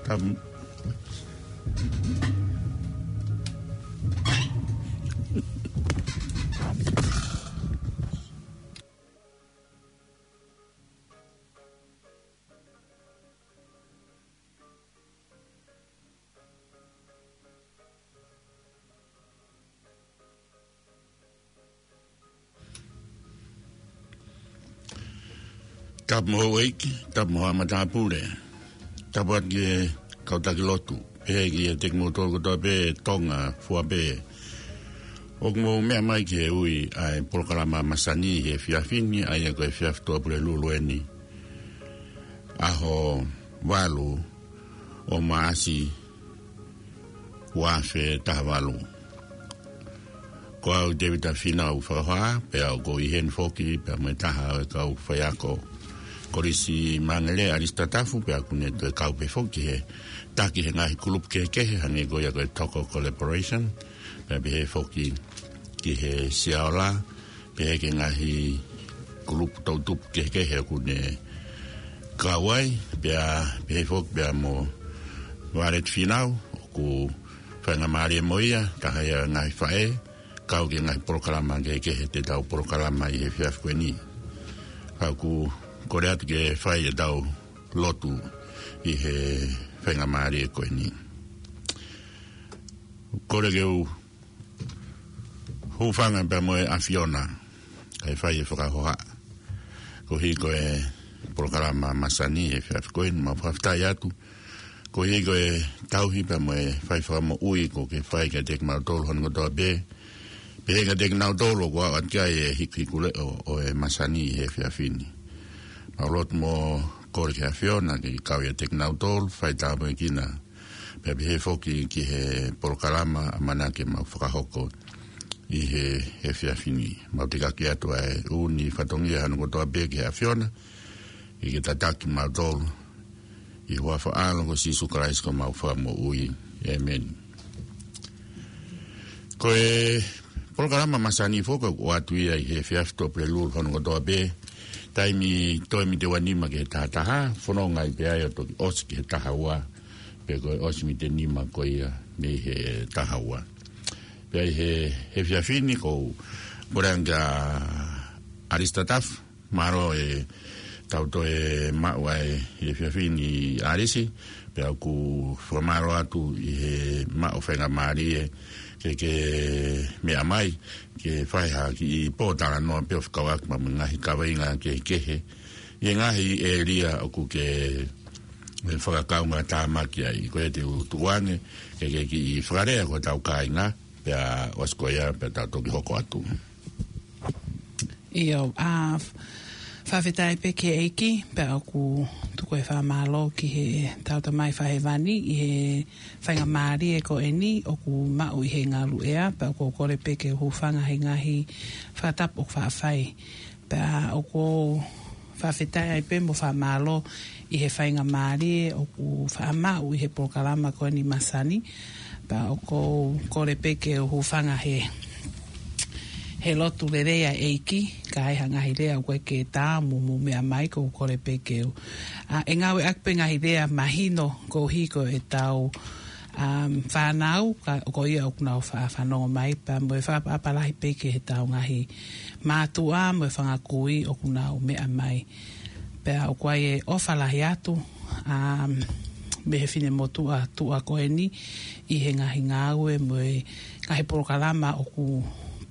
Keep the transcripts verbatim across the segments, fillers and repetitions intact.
Tam- Tapu mo houʻeiki, tapu mo haʻa matāpule, tapu atu ki he kau taki lotu, pehē ki he teki mou tolu kotoa pē Tonga fua pē. ʻOku mou meʻa mai ki he ui ʻa e polokalama masani he efiafi ni, ʻa ia ko e efiafi Tuʻapulelulu eni, ʻaho valu ʻo Maʻasi, ua afe taha valu. Ko au Tevita Finau Fakahohaʻa, pea ʻoku ou ʻi heni foki pea mo e taha ʻo e kau faiako, Kolisi Mangele, ʻAlisi Tatafu, pea ʻoku ne toe kau pē foki he taki he ngaahi kulupu kehekehe, hangē ko ia ko e Toko Collaboration, pea pehē foki ki he Siaola, pehē ki he ngaahi kulupu toʻutupu kehekehe ʻoku ne kau ai, pea pehē foki pea mo Violet Finau, ʻoku faingamālie mo ia, taha ia ʻo e ngaahi faʻē, kau ki he ngaahi polokalama kehekehe te tau polokalama ʻi he efiafi ko eni. Ka ʻoku kole atu ke fai ʻetau lotu ʻi he faingamālie ko eni. Kole ke u hūfanga pea mo e ʻAfiona, kae fai e fakahohaʻa koeʻuhi ko e polokalama masani he efiafi ko eni. Mau fakafetaʻi atu koeʻuhi ko e tauhi pea mo e fai fakamoʻui kuo ke fai kiate kimautolu hono kotoa pē, pehē kiate kinautolu ʻoku aʻu atu ki ai e hikuhikuleʻo ʻo e masani he efiafi ni. Mau lotu mo kole ki he ʻAfiona ke kau ʻiate kinautolu, fai tāpuekina, pea pehē foki ki he polokalama ʻamanaki ke mau fakahoko ʻi he efiafi ni. Mau tekaki atu ʻa e ʻū fatongia hono kotoa pē ki he ʻAfiona, ke ke tataki kimautolu, ʻi he huafa ʻo ho ʻAlo ko Sīsū Kalaisi ko homau Fakamoʻui. ʻĒmeni. Ko e polokalama masani foki ʻoku ʻoatu ia ʻi he efiafi Tuʻapulelulu hono kotoa pē, taimi toe mite ua nima ki he taha taha, fononga ai pē ai ʻo toki ʻosi ki he taha ua, pe ko e ʻosi mite nima ko ia mei he taha ua. Pea ʻi he, he efiafi ni ʻoku ou kole ange kia ʻAlisi Tatafu, mālō e tau toe maʻu ʻa e efiafi ni ʻAlisi, pea ʻoku fakamālō atu ʻi he maʻu faingamālie ke ke meʻa mai, ke fai ha kiʻi pōtalanoa pea fekauʻaki mo e ngaahi kaveinga kehekehe ʻi he ngaahi ʻēlia ʻoku ke fakakaungātāmaki ai. Ko ia te u tuku ange ke ke kiʻi fakalea ki hotau kāinga, pea ʻosi ko ia pea tau toki hoko atu. ʻIo, ʻa, f-, fakafetaʻi pē ki he ʻEiki, pea ʻoku tuku e fakamālō ki heʻetau Tamai Fakahēvani ʻi he faingamālie ko eni ʻoku maʻu ʻi he ngaluʻea, pea ʻoku ou kole pē ke u hūfanga he ngaahi fakatapu ʻoku faʻa fai. Pea ʻoku ou fakafetaʻi ai pē mo fakamālō ʻi he faingamālie ʻoku faʻa maʻu ʻi he polokalama ko eni masani. Pea ʻoku ou kole pē ke u hūfanga he, he lotu lelei ʻa e ʻEiki, ka ai ha ngaahi lea ʻoku ʻikai ke tā mo mou meʻa mai, ʻoku ou kole pē ke u, ʻa, ʻe ngāueʻaki pē ngaahi lea mahino koeʻuhi ko ʻetau, um, fānau, ka, ko ia ʻoku nau fa-, fanongo mai, pea mo e fakaʻapaʻapa lahi pē ki heʻetau ngaahi mātuʻa mo e fanga kui ʻoku nau meʻa mai. Pea ʻoku ʻi ai e ʻofa lahi atu, um, mei he finemotuʻa tuʻa ko eni ʻi he ngaahi ngāue mo e ngaahi polokalama ʻoku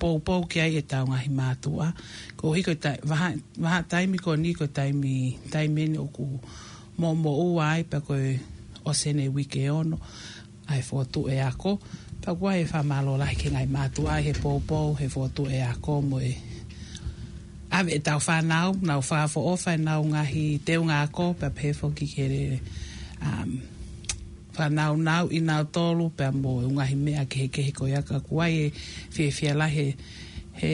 poupou ki ai ʻetau ngaahi mātuʻa. Koeʻuhi ko e ta-, vaha, vahaʻa taimi ko eni ko e taimi, taimi eni ʻoku moʻumoʻua ai pea ko e ʻosi eni e uike ʻe ono ʻa e fokotuʻu e ako. Pea ʻoku ʻi ai e fakamālō lahi ki he ngaahi mātuʻa ʻi he poupou, he fokotuʻu e ako mo e ʻave ʻetau fānau, nau fakaʻofoʻofa ʻenau ngaahi teunga ako, pea pehē foki ki he, um, fānau nau ʻi nautolu, pea mo e ngaahi meʻa kehekehe ko ia ka ʻoku ʻi ai e fiefia lahi he, he,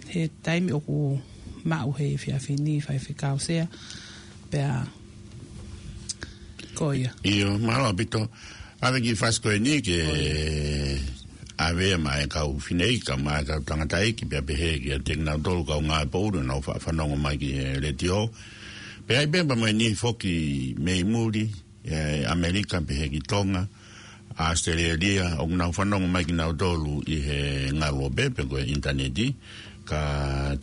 he taimi ʻoku maʻu he efiafi ni Faifekau Sea, pea ko ia. ʻIo, mālō ʻaupito. ʻAve ki he fasi ko eni ke ʻave mai e kau fineʻeiki, kau mai e kau tangataʻeiki, pea pehē kiate kinautolu kau ngāue poʻuli ʻoku nau fa-, fanongo mai ki he letiō. Pea ʻi ai pē pea mo e niʻihi foki mei muli, ʻi ʻAmelika pehē ki Tonga, ʻAositelēlia, ʻoku nau fanongo mai kinautolu ʻi he ngaluope pe ko e ʻinitaneti, ka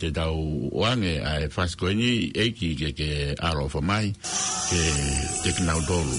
te tau ʻoange ʻa e fasi ko eni ʻEiki ke ke ʻaloʻofa mai, ke, ke kinautolu.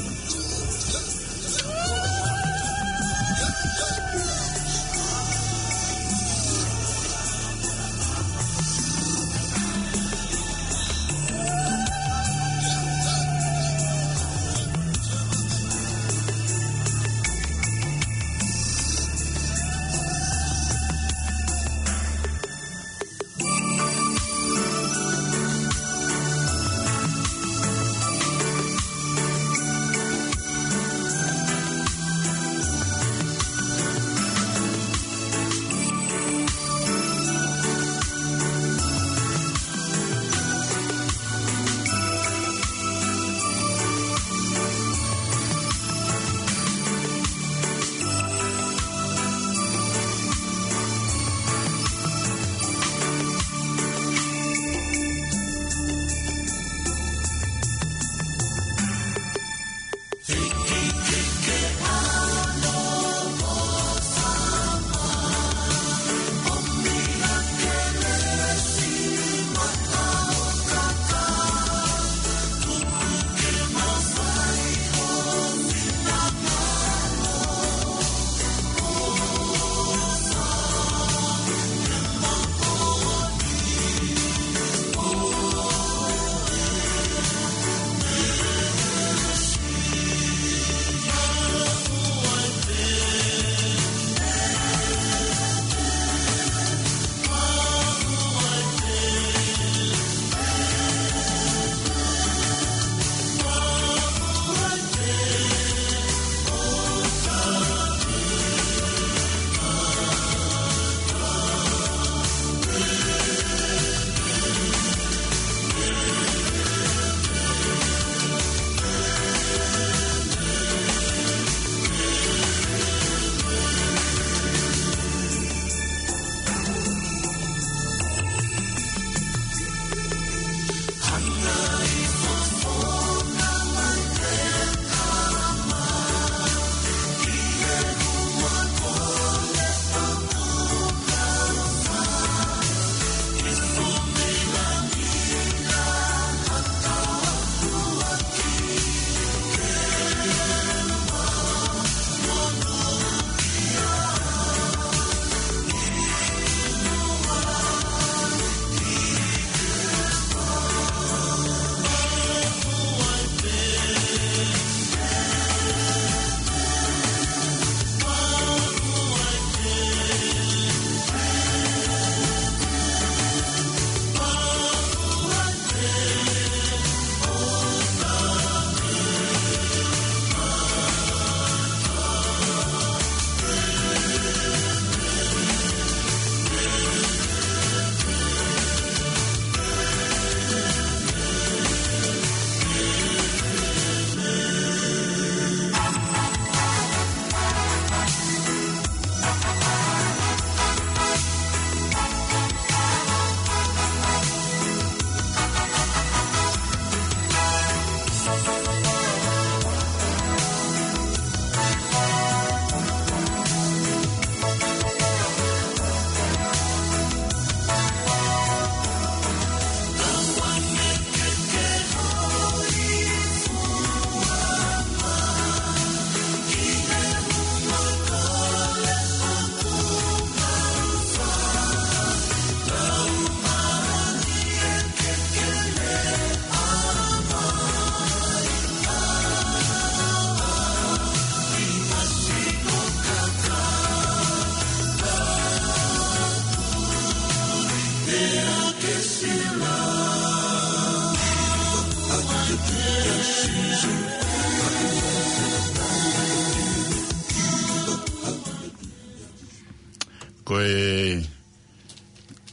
Ko e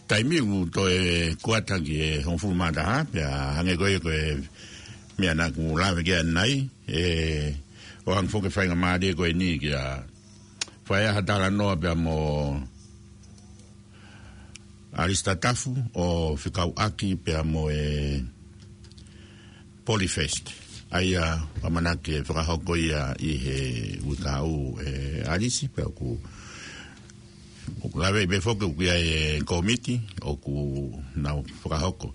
taimi ʻoku toe kuata ki he hongofulu mā taha, pea hangē ko ia ko e meʻa naʻa ku lave ki ai ʻanenai, ʻe, ʻoange foki e faingamālie ko eni ke u fai ha talanoa pea mo ʻAlisita Tafu ʻo fekauʻaki pea mo e Polyfest. ʻA ia, ʻamanaki ke fakahoko ia ʻi he uike kahaʻu, ʻe ʻAlisi, pea ʻoku, ʻoku laveʻi pē foki ʻoku ʻi ai e kōmiti ʻoku nau fakahoko.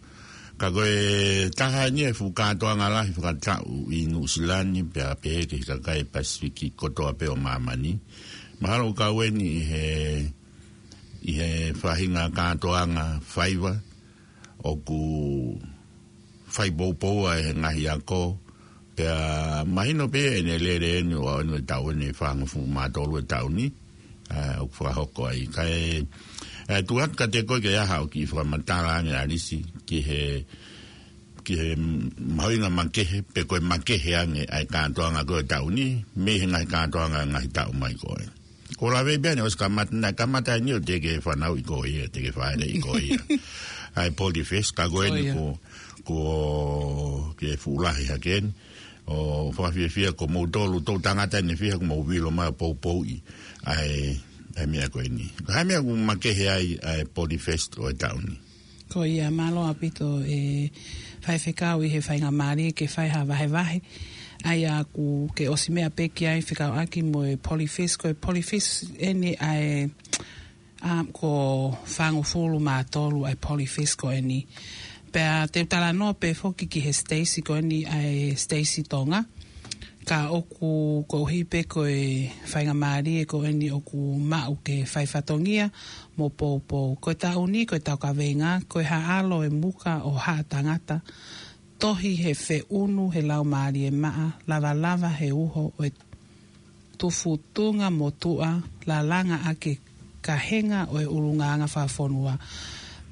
Ka ko e taha eni e fuʻu kātoanga lahi fakataʻu ʻi Nuʻusila ni, pea pehē ki he kakai Pasifiki kotoa pē ʻo māmani. Mahalo ʻoku kau eni ʻi he, ʻi he faʻahinga kātoanga faiva, ʻoku fai poupou ai he ngaahi ako, pea mahino pē ʻene lele eni ʻo aʻu eni e taʻu eni ʻe fāngofulu mā tolu e taʻu ni, ʻa, ʻoku fakahoko ai. Kae, ʻe, tuʻu atu kiate koe ke ʻi ai haʻo kiʻi fakamatala ange ʻAlisi, ki he, ki he mahuʻinga makehe, pe ko e makehe ange ʻa e kātoanga ko ē ʻo e taʻu ni, mei he ngaahi kātoanga ngaahi taʻu mai ko ē. Ko e laveʻi pē eni ʻosi kamata, naʻe kamata eni ʻo teʻeki fanauʻi koe ia, teʻeki fāʻeleʻi koe ia. ʻA e Polyfest, ka ko eni ko, ko e fuʻu lahi hake eni. ʻO fakafiefia ko moutolu, tou tangata eni fiha ko mou vilo mai ʻo poupouʻi ʻa e, ʻa e meʻa ko eni. Ko e hā e meʻa ʻoku makehe ai ʻa e Polyfest ʻo e taʻu ni? Ko ia, mālō ʻaupito e faifekau ʻi he faingamālie ke fai ha vahevahe. ʻA ia ʻoku ke ʻosi meʻa pē ki ai fekauʻaki mo e Polyfest, ko e Polyfest eni ʻa e, ʻa, ko e fāngofulu mā tolu ʻa e Polyfest ko eni. Pea te u talanoa pē foki ki he siteisi ko eni ʻa e Siteisi Tonga. Ka ʻoku koeʻuhi pē ko e faingamālie ko eni ʻoku maʻu ke fai fatongia mo poupou. Ko e taʻu ni, ko e tau kaveinga, ko e Haʻalo e Muka ʻo Haʻa Tangata, tohi he feʻunu he laumālie maʻa, lavalava he uho ʻo e tufutunga motuʻa, lalanga ʻaki e kahenga ʻo e ʻulungaanga fakafonua.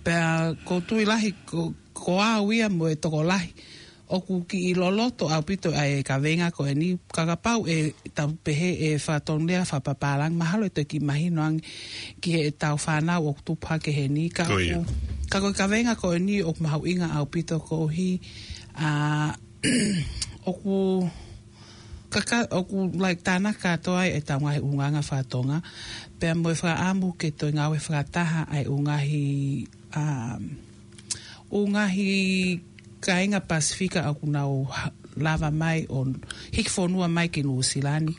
Pea ʻoku ou tui lahi ko, ko au ia mo e tokolahi ʻoku kiʻi loloto ʻaupito ʻa e kaveinga ko eni, ka kapau ʻe tau pehē ʻe fakatonulea fakapapālangi, mahalo ʻe toki mahino ange ki heʻetau fānau ʻoku tupu hake heni, ka ʻoku, ka ko e kaveinga ko eni ʻoku mahuʻinga ʻaupito koeʻuhi, ʻa, ʻoku kaka, ʻoku, like, tānaki kātoa ai ʻetau ngaahi ʻulungaanga fakatonga, pea mo e fakaʻamu ke toe ngāue fakataha ʻa e ʻū ngaahi, um, ʻū ngaahi kāinga Pasifika ʻoku nau ha-, lava mai ʻo hiki fonua mai ki Nuʻusila ni.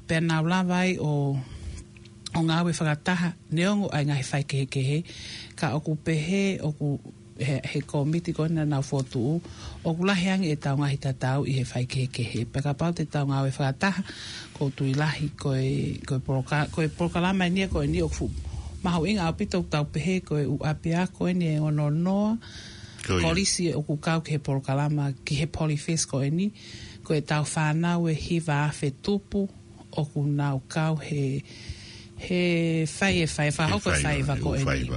Pea nau lava ai ʻo, ʻo ngāue fakataha, neongo ʻa e ngaahi faikehekehe, ka ʻoku pehē, ʻoku he, he kōmiti ko ena naʻa nau fokotuʻu, ʻoku lahi ange ʻetau ngaahi tatau ʻi he faikehekehe. Pea kapau te tau ngāue fakataha, ʻoku ou tui lahi ko e, ko e poloka-, ko e polokalama eni ia ko eni ʻoku fuʻu mahuʻinga ʻaupito ʻoku tau pehē ko e ʻū ʻapiako eni ʻe ono noa, kolisi ʻoku kau ki he polokalama, ki he Polyfest ko eni, ko ʻetau fānau ʻe hiva afe tupu, ʻoku nau kau he, he fai e fai, fakahoko e faiva ko eni.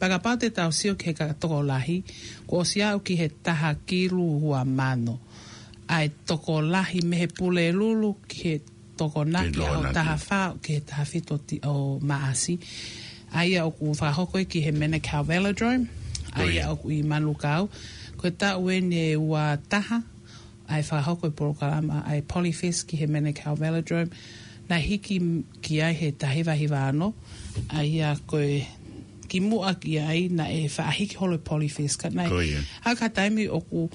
Pea kapau te tau sio ki he ka-, tokolahi, kuo ʻosi aʻu ki he taha kilu ua mano. ʻA e tokolahi mei he Pulelulu ki he Tokonaki, ʻaho taha fā ki he taha fitu ʻo Maʻasi. ʻA ia ʻoku fakahoko ia ki he Manukau Velodrome. ʻA ia ʻoku ʻi Manukau. Ko e taʻu eni ʻe ua taha, ʻa e fakahoko e polokalama ʻa e Polyfest ki he Manukau Velodrome, naʻe hiki m-, ki ai he taha hiva hiva ono, ʻa ia ko e kimuʻa ki ai naʻe faʻa hiki holo e Polyfest ka naʻe. Ko ia. ʻA ka taimi ʻoku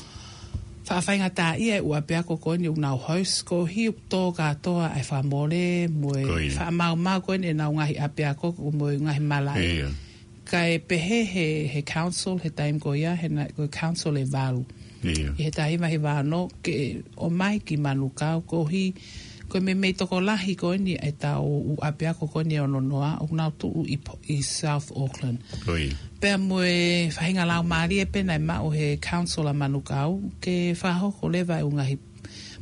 faʻa faingataʻaʻia e ʻū ʻapiako ko eni ʻoku nau host koeʻuhi ʻoku tō kātoa ʻa e fakamole mo e faʻamaumau ko eni ʻenau ngaahi ʻapiako mo e ngaahi malaʻe. Kae pehē he, he council, he taimi ko ia, he na-, ko e council ʻe valu. ʻI he taha hiva hiva ono, ke ʻomai ki Manukau, koeʻuhi, ko e meimei tokolahi ko eni ʻetau ʻū ʻapiako ko eni ʻe ono noa, ʻoku nau tuʻu ʻi Po-, ʻi South Auckland. Pea mo e faʻahinga laumālie pē naʻe maʻu he council ʻa Manukau, ke fakahoko leva e ʻū ngaahi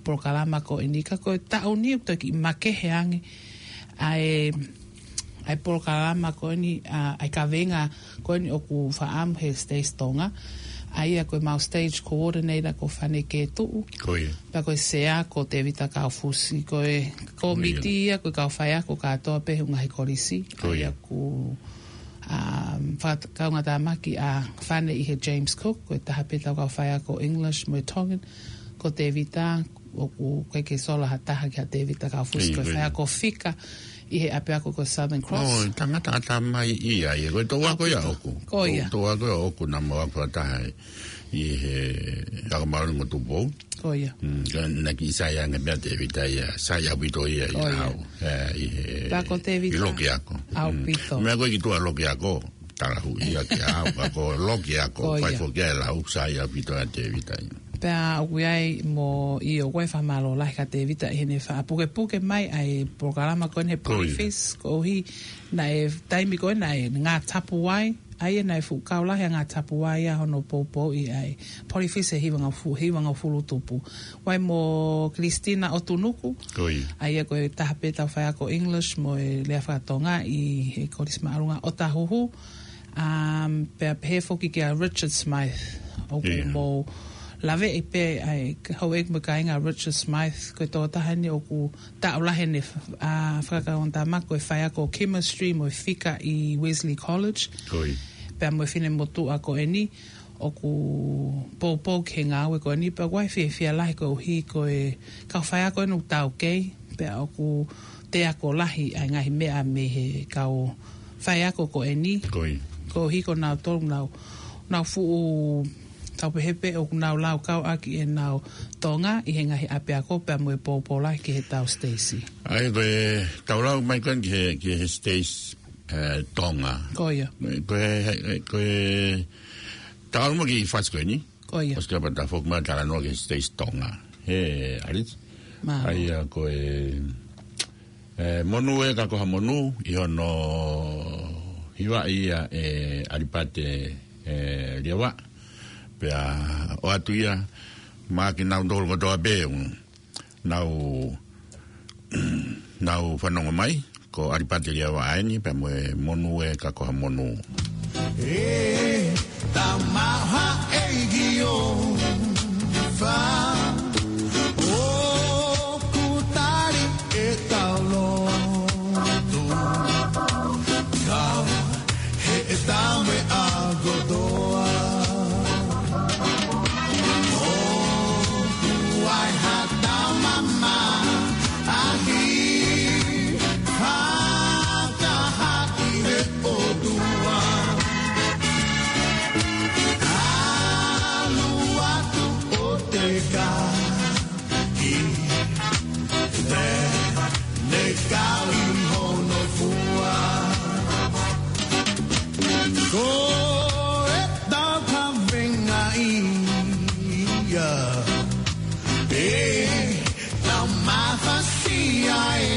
polokalama ko eni ka ko e taʻu ni ʻoku toki makehe ange ʻa e, ʻa e polokalama ko eni, ʻa, ʻa e kaveinga ko eni ʻoku fakaʻamu he Siteisi Tonga. ʻA ia ko e mau stage coordinator ko Fane Ketuʻu. Ko ia. Pea ko e sea ko Tevita Kaufusi. Ko e kōmiti ia ko e kau faiako kātoa pē he ʻū ngaahi kolisi. Ko ia. ʻA ia ʻoku, um, fakakaungātāmaki ʻa Fane ʻi he James Cook, ko e taha pē ʻetau kau faiako English mo e Tongan, ko Tevita, ʻoku ʻikai ke sola ha taha kia Tevita Kaufusi, ko e faiako fika ʻi he ʻapiako ko Southern Cross. ʻO, tangata ʻatamai ia, ia, ko e toʻu ako ia ʻoʻoku. Ko ia. Toʻu ako ia ʻoʻoku naʻa mau ako fakataha ʻi he Ako Māori mo Tupou. Ko ia. Mm, ka naʻe kiʻi sai ange pē ʻa Tēvita ia, sai ʻaupito ia ʻi Ko ia. ʻAu. ʻE, ʻi he, Pea ko Tēvita ʻi loki ako. ʻAupito. Mm. Meʻa ko ē ki tuʻa loki ako, talahuʻi ia ki ʻAu, ka ko loki ako, Ko ia. fai foki ʻa e lau, sai ʻaupito ʻa Tēvita ia. Pea ʻoku ʻi ai mo ʻio ko e fakamālō lahi kia Tēvita ʻi heʻene fakapukepuke mai ʻa e polokalama ko eni he Ko ia. Polyfest, koeʻuhi naʻe taimi ko ē naʻe ngā tapu ai, ʻa ia naʻe fuʻu kau lahi ʻa ngā tapu ai ʻa hono poupouʻi ʻa e Polyfest he hivangofulu, hivangofulu tupu. Vai mo Christina ʻOtunuku. Ko ia. ʻA ia ko e taha pē ʻetau faiako English mo e lea faka-Tonga ʻi he Kolisi Māʻolunga ʻOtahuhu. Um, pea pehē foki kia Richard Smythe. ʻOku ʻIo. mou laveʻi pē ʻa e houʻeiki mo e kāinga Richard Smythe. Ko e tokotaha eni ʻoku taʻu lahi ʻene, ʻa, fakakaukau tama ko e faiako chemistry mo e fika ʻi Wesley College. Ko ia. Pea mo e finemotuʻa ko eni ʻoku poupou ki he ngāue ko eni, pea ʻoku ʻi ai e fiefia lahi koeʻuhi ko e kau faiako eni ʻoku taukei, pea ʻoku toe ako lahi ʻa e ngaahi meʻa mei he kau faiako ko eni. Ko ia. Koeʻuhi ko nautolu nau, nau fuʻu tau pehē pē ʻoku nau laukau ʻaki ʻenau Tonga ʻi he ngaahi ʻapiako pea mo e poupou lahi ki he tau Stacy. ʻA ia ko e tau lau mai ko eni ki he, ki he Stacy, ʻe, Tonga. Ko ia. Ko e, ko e, tau lau mai ki he fasi ko eni. Ko ia. ʻOsi ka pata foki mai talanoa ki he Stacy Tonga. He, ʻAlisi. Mālō. ʻA ia ko e, ʻe, Monū ē ka ko ha monū ʻi hono hivaʻi ia ʻe ʻAlipate, ʻe, Liava. Pea ʻoatu ia maʻa kinautolu kotoa pē ʻoku nau, nau fanongo mai, ko ʻAlipate Liava ʻeni, pea mo e Monū ē ka ko ha monū. ʻE, tamaha e gio, fa, ʻoku tali e tau lotu. Kau he e tau meʻa kotoa. ʻOku ʻi ai ha tau mamahi, fakahā ki he ʻOtua. ʻAlu atu ʻo teka ki te ne kau ʻi hono fua. Ko e tau kavenga ia, ʻe tau mafasia ē.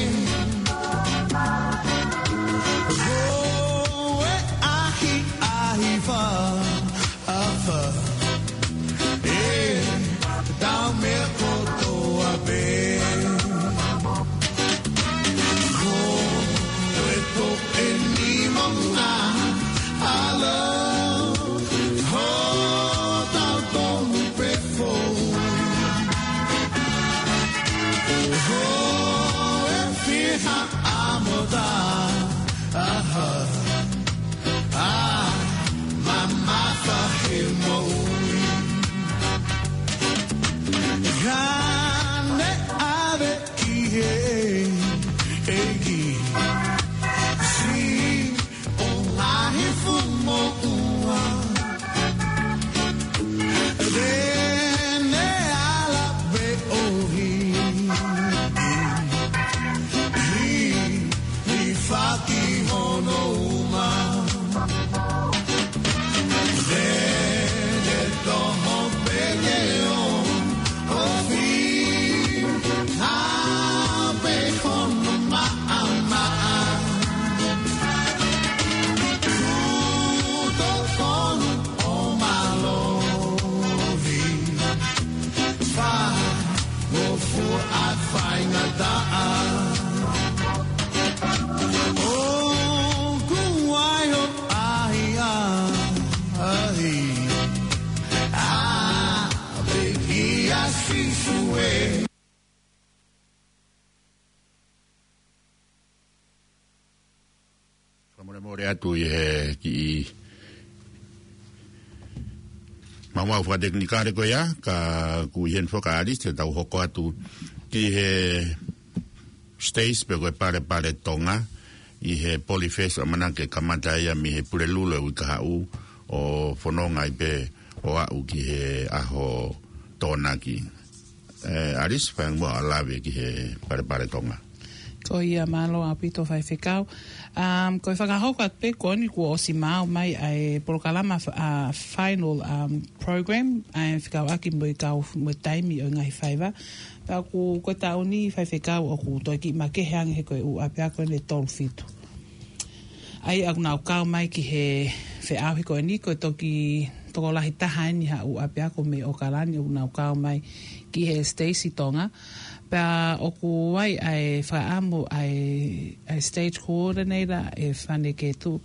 Ko e ʻahiʻahi fa afa. ʻE tau meʻa kotoa pē. Ko e toʻe ni manga ala. Ho tau tonu pē fou. Ho e fiha ʻa mota. Aha. ʻA, mamafa he moʻui. Ka ne ʻave ki he ʻEiki. Siʻi ʻo ngaahi fuʻu moʻua. Te ne ala pē ʻo hiki. Hiki. Hifaki hono uma. Te ne toho pē ke ʻo ofi. Hape hono maʻamaʻa. Kuo tokonu ʻo mālohi. Fa, mo fua ʻa e faingataʻa. ʻOku ʻi ai hoʻo ʻahiʻahi. ʻA, pē kia Sīsū ē. Fakamolemole atu ʻi he kiʻi maumau fakatekinikale ko ia, ka ʻoku ʻi heni foki ʻa ʻAlisi te tau hoko atu ki he Stacy pe ko e Palepale Tonga ʻi he Polyfest ʻoku ʻamanaki ke kamata ia mei he Pulelulu ʻo e uike kahaʻu ʻo fononga ai pē ʻo aʻu ki he ʻaho Tokonaki. ʻE, Alice, fai muʻa ʻa e lave ki he Palepale Tonga. Ko ia, mālō ʻaupito faifekau. Um, ko e fakahoko atu pē ko eni kuo ʻosi maau mai ʻa e polokalama fa-, ʻa e final, um, program, ʻa e fekauʻaki mo e kau mo e taimi ʻo e ngaahi faiva. Pea ʻoku ko e taʻu ni faifekau ʻoku toe kiʻi makehe ange he ko e ʻū ʻapiako eni ʻe tolu fitu. ʻA ia ʻoku nau kau mai ki he feʻauhi ko eni, ko e toki tokolahi taha eni ha ʻū ʻapiako mei ʻOkalani ʻoku nau kau mai ki he Stacey Tonga. Pea ʻoku ʻi ai ʻa e fakaʻamu ʻa e, ʻa e stage coordinator ʻe Fane Ketu,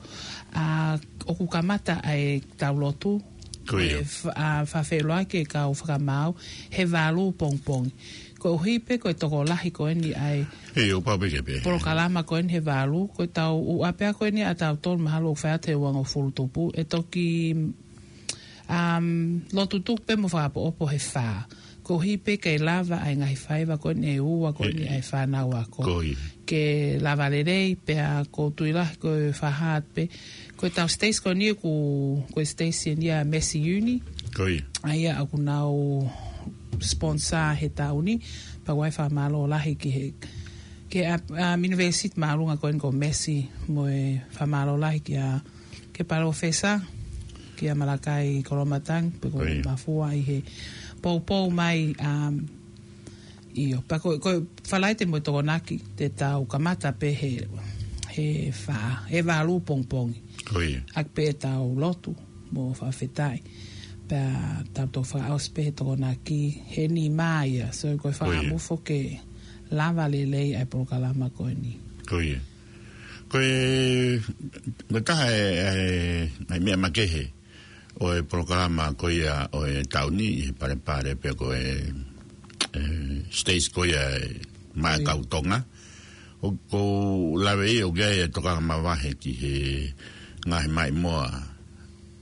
ʻa ʻoku kamata ʻa e tau lotu. Ko ia. ʻE fa-, ʻa fakafeʻiloaki e kau fakamaau he valu pongipongi. Koeʻuhi pē ko e tokolahi ko eni ʻa e He, ʻo pau pē ke pē. Polokalama ko eni he valu, ko e tau ʻū ʻapiako eni ʻa tautolu mahalo ʻoku fai atu he uangofulu tupu. ʻE toki, um, lotu tuku pē mo fakaʻopoʻopo he fā. Koeʻuhi pē ke lava ʻa e ngaahi faiva ko eni ʻe ua ko eni ʻa e fānau ako. Ko ia. Ke lava lelei, pea ʻoku ou tui lahi ko e fakahā atu pē. Ko e tau Stacey ko eni ʻoku, ko e Stacey eni ʻa Massey Uni. Ko ia. ʻA ia ʻoku nau sponsor he taʻu ni, pea ʻoku ʻi ai e fakamālō lahi ki he, ki he ʻa, ʻa e university māʻolunga ko eni ko Massey mo e fakamālō lahi kia, ki he palōfesa, kia Malakai Koloamatangi, pe ko Ko ia. Mafua ʻi he poupou mai, um, ʻio, pea ko, ko Falaite mo e Tokonaki te tau kamata pē he, he fā, he valu pongipongi. Ko ia. ʻAki pē tau lotu mo fakafetaʻi. Pea tau toki fakaʻosi pē he Tokonaki he nima ia. So ko e Ko ia. fakaʻamu foki ke lava lelei ʻa e polokalama ko eni. Ko ia. Ko e, ko e taha e, e, e meʻa makehe ʻo e polokalama ko ia ʻo e taʻu ni ʻi he Palepale pe ko e, e, Stacey ko ia ʻa e Maʻa Ko ia. Kau Tonga. ʻOku ou lave ia ʻoku ʻi ai e tokanga mavahe ki he ngaahi maʻimoa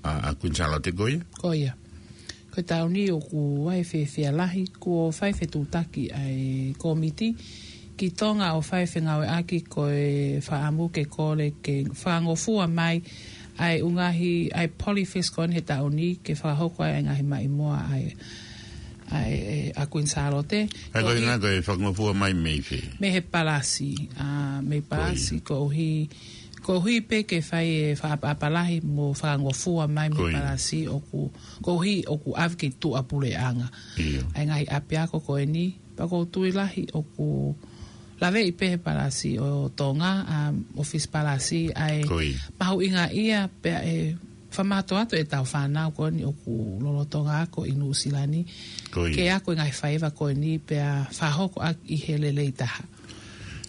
ʻa, ʻa Kuini Sālote ko ia. Ko ia. Ko e taʻu ni ʻoku ʻi ai e fiefia lahi, kuo fai fetuʻutaki ʻa e kōmiti ki Tonga ʻo fai fengāueʻaki ko e fakaʻamu ke kole ke fakangofua mai ʻa e ʻū ngaahi, ʻa e Polyfest ko eni he taʻu ni ke fakahoko ai ʻa e ngaahi maʻimoa ʻa e, ʻa e, ʻa Kuini Sālote. ʻA e ko Koeʻuhi ina ko e fakangofua mai mei fē? Mei he palasi, ʻa, mei Ko ia. palasi, koeʻuhi, koeʻuhi pē ke fai e fakaʻapaʻapa lahi mo fakangofua mai mei Ko ia. palasi ʻoku, koeʻuhi ʻoku ʻave ki tuʻapuleʻanga. ʻIo. ʻA e ngaahi ʻapiako ko eni, pea ʻoku ou tui lahi ʻoku laveʻi pē he palasi ʻo Tonga, ʻa, ʻofisi palasi, ʻa e Ko ia. mahuʻinga ia pea ʻe fakamātoato e tau fānau ko eni ʻoku lolotonga ako ʻi Nuʻusila ni. Ko ia. Ke ako e ngaahi faiva ko eni pea fakahoko ʻaki ʻi he lelei taha.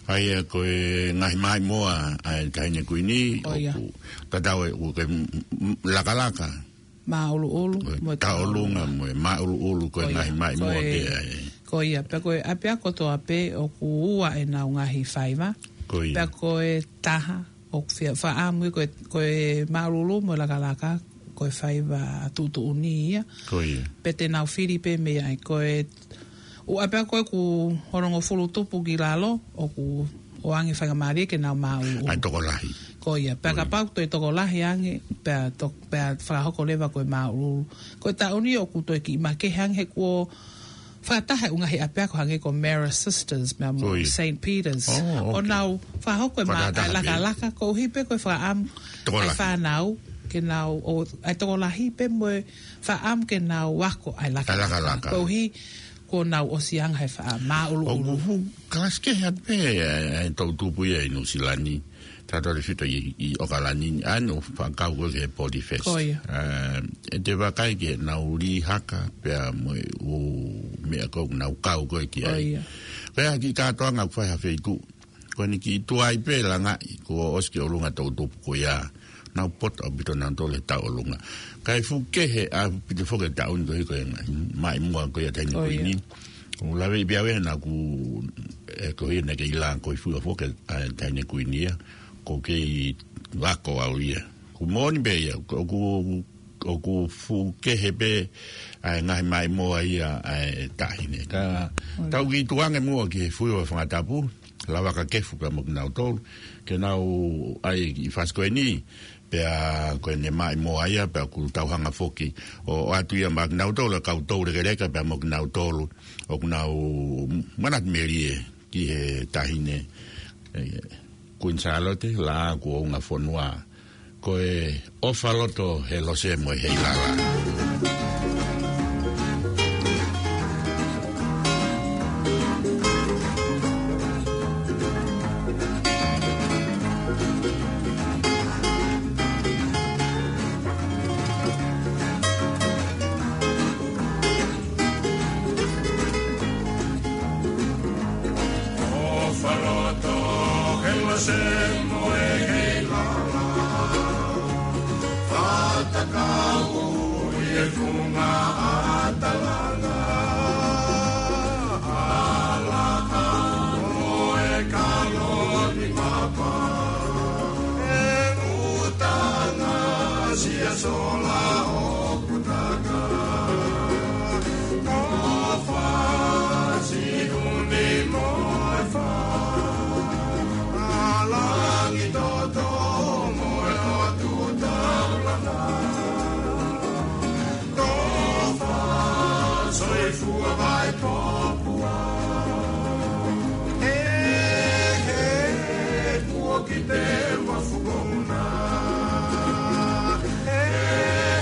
ʻA ia ko e ngaahi maʻimoa ʻa e Taʻahine Kuini, Ko ia. ʻoku tatau ʻoku ke m-, m-, lakalaka. Māʻuluʻulu, Ko e mo e tauʻolunga, tauʻolunga. mo e māʻuluʻulu, ko e Ko ia. ngaahi maʻimoa Ko e, pē ʻa e. ko ia, pea ko e ʻapiako kotoa pē ʻoku ua ʻenau ngaahi faiva. Ko ia. Pea ko e taha, ʻoku fia fakaʻamu ia ko e, ko e māʻuluʻulu mo e lakalaka, ko e faiva tuʻutuʻuni ia. Ko ia. Pea te nau fili pē mei ai, ko e ʻū ʻapiako ko ē ʻoku hongofulu tupu ki lalo, ʻoku ʻoange faingamālie ke nau māʻuluʻulu. ʻA e tokolahi. Ko ia, pea Ko ia. kapau toe tokolahi ange, pea to-, pea fakahoko leva ko e māʻuluʻulu. Ko e taʻu ni ʻoku toe kiʻi makehe ange he kuo fakataha e ʻū ngaahi ʻapiako hangē ko Marist Sisters, pea mo Ko ia. Saint Peter's. ʻO, ʻO ok. nau fakahoko e mā-, Fakataha ʻa e pē. lakalaka, koeʻuhi pē ko e fakaʻamu ʻa e Tokolahi. fānau, ke nau, ʻo, ʻa e tokolahi pē mo e fakaʻamu ke nau ako ʻa e ʻA e lakalaka. lakalaka. Koeʻuhi kuo nau ʻosi anga he faʻa māʻuluʻulu. ʻOku fuʻu kalasi kehe atu pē, e, e toʻutupu ia ʻi Nuʻusila ni. Tautefito ʻi, ʻi ʻOkalani, ʻa ʻenau fakakau ko ē ki he Polyfest. Ko ia. Ā, ʻe te vakai ki heʻenau lī haka, pea mo e ʻū meʻa ko ē ʻoku nau kau ko ē ki Ko ai. ia. Ko ia ki kātoanga ʻoku fai ha feituʻu. Ko eni ki tuai pē langaʻi, kuo ʻosi ki ʻolunga toʻutupu ko ia. Nau poto ʻaupito nautolu he tauʻolunga. Kae fuʻu kehe ʻaupito foki e taʻu ni koeʻuhi ko e ngaahi maʻimoa ko ia Taʻahine Ko ia. Kuini. ʻOku laveʻi pē ʻe au ia naʻa ku, ʻe, koeʻuhi naʻe kei lā ko e fuʻu foki ʻa e Taʻahine Kuini ia. ʻOku kei lako au ia. ʻOku moʻoni pē ia, ʻoku, ʻoku fuʻu kehe pē ʻa e ngaahi maʻimoa ia ʻa e Taʻahine. Ka Ko ia. tau kiʻi tuʻu ange muʻa ki he fuʻu ʻo e fanga tapu, Lavaka Kefu pea mo kinautolu, ke nau ʻai e kiʻi fasi ko eni, Pea ko ʻene maʻimoa ia, pea ʻoku tau hanga foki ʻo, ʻoatu ia maʻa kinautolu ʻa e kau toulekeleka, pea mo kinautolu ʻoku nau manatu melie ki he taʻahine, ē, Kuini Sālote, Laʻā kuo unga fonua. Ko e ʻOfa Loto he Lose mo e Heilala. ʻOfa Loto he Lose mo e Heilala. Fatakau ʻi he funga ʻa Talanga. ʻAlaka mo e kalo ni mapa. ʻE ngutanga sia sola ʻoku taka. ʻOfa, Siʻuni mo e Fa. ʻA Langitoto mo e ʻOtu Taulanga. ʻOfa, soifua Vaipopua. He, he, kuo kite ua fuko muna. He,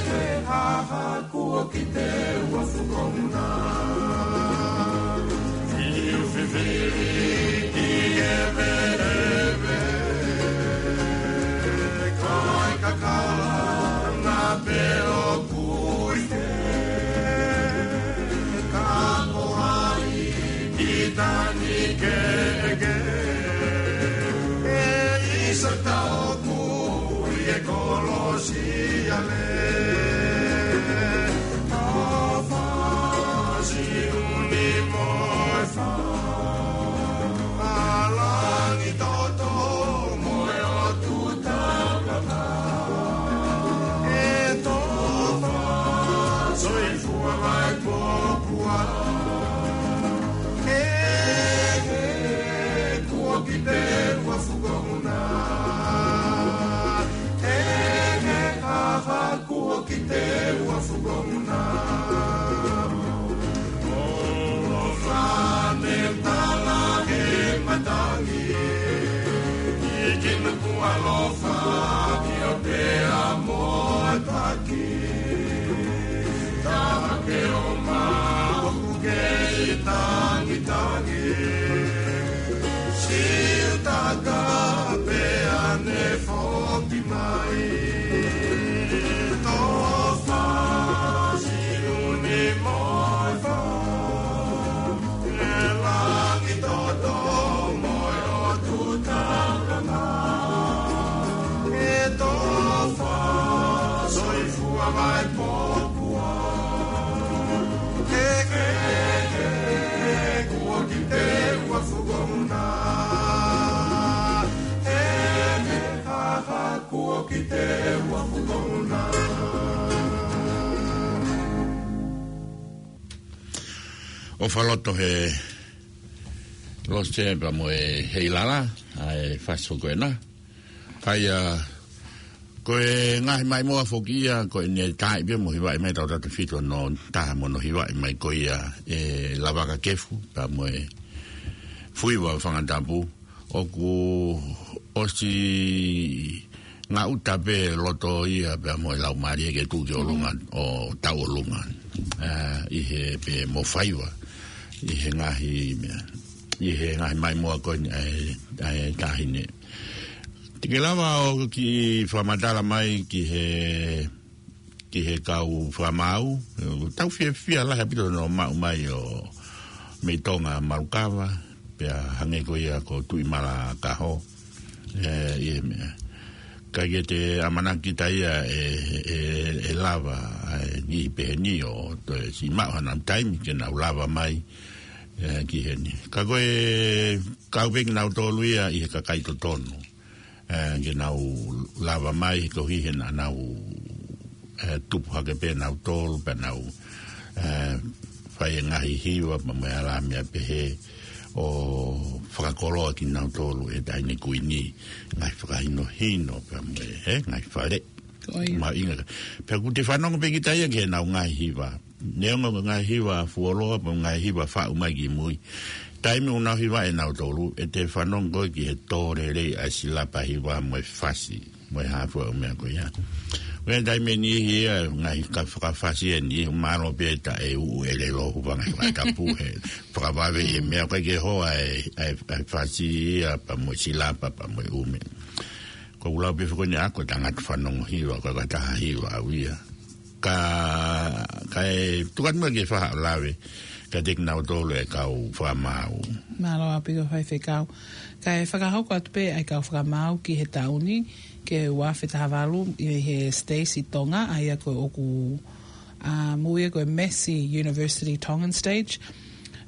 he, ha, ha, kuo kite ua fuko muna. Fiu fifili ki he veʻe. Ko e kakala na pē ʻoku ʻi fē. Ka ko hai ki tani keʻeke. ʻE ʻisa taʻoku ʻi he kolosi. Siale, ʻOfa, Siʻuni mo e Fa. ʻA Langitoto mo e ʻOtu Taulanga. ʻE tofa, soifua Vaipopua. He, he, kuo kite ua fuko muna. He, he, ha, ha, kuo kite ua fuko muna. ʻOfa ne tala he matangi. ʻIkina kuo ʻalofa ki ʻo pea mo taki. Taha ke ʻomai ʻoku kei tangitangi. Siutaka pea ne foki mai. Tofa, Siʻuni mo e Fa. ʻE Langitoto mo e ʻOtu Taulanga. ʻE tofa, soifua Vaipopua. He, he, he, kuo kite ua fuko muna. He, he, ha, ha, kuo kite ua fuko muna. ʻOfa Loto he Lose pea mo e Heilala, ʻa e fasi ko ena. Ka ia, ko e ngaahi maʻimoa foki ia, ko ʻene taaʻi pē mo hivaʻi mai tautautefito hono taha mo hono hivaʻi mai ko ia ʻe Lavaka Kefu, pea mo e Fuiva Fangatapu, ʻoku ʻosi ngaʻuta pē loto ia pea mo e laumālie ke tuʻu ki ʻolunga ʻo tau ʻolunga. ʻA, ʻi he pē mo faiva, ʻi he ngaahi meʻa, ʻi he ngaahi maʻimoa ko eni ʻa e, ʻa e taʻahine. Te ke lava ʻo kiʻi fakamatala mai ki he ki he kau fakamaau, tau fiefia lahi ʻaupito hono maʻu mai ʻo mei Tonga Malukava, pea hangē ko ia ko Tuʻimalakaho, ē, ʻi he meʻa. Ka ke te ʻamanaki kita ia ʻe, ʻe, ʻe lava, ʻe, ni pehē ni ʻo toe siʻi maʻu hanau taimi ke nau lava mai, ē, ki heni. Ka ko e kau pē kinautolu ia ʻi he kakai totonu. Ē, ke nau lava mai he koeʻuhi he naʻa nau, ē, tupu hake pē nautolu, pea nau, ē, fai e ngaahi hiva, pea mo e alami a pehē. ʻo fakakoloa kinautolu ʻe he Taʻahine Kuini, ngaahi fakahinohino pea mo e, ē, ngaahi fale. Ko ia. Mahuʻinga. Pea ʻoku te fanongo pē kita ia ki heʻenau ngaahi hiva. Neongo ko e ngaahi hiva fuoloa, pe ngaahi hiva faʻu mai ki mui. Taimi ʻoku nau hiva ʻe nautolu, ʻe te fanongo ki he tō lelei ʻa e silapa hiva mo e fasi, mo e hā fua ʻo e meʻa ko ia. Ko e taimi ʻe niʻihi ia, ngaahi ka fakafasi ʻe niʻihi, mālō pē taʻe uʻu ʻelelo, hūfanga he fakatapu, he fakavave ʻi he meʻa ko ē ke hoa e, e, e fasi ia, pea mo e silapa, pea mo e ʻū meʻa. Ko u lau pē foki ni ʻa ko e tangata fanongo hiva, ko e ka taha hiva au ia. Ka, kae tuku atu muʻa ke fai haʻo lave, kiate kinautolu e kau fakamaau. Mālō ʻaupito Faifekau. Kae fakahoko atu pē ʻa e kau fakamaau ki he taʻu ni, ki he ua afe taha valu, ʻi he stage ʻi Tonga, ʻa ia ko ē ʻoku, um, ui ia ko e Massey University Tongan Stage.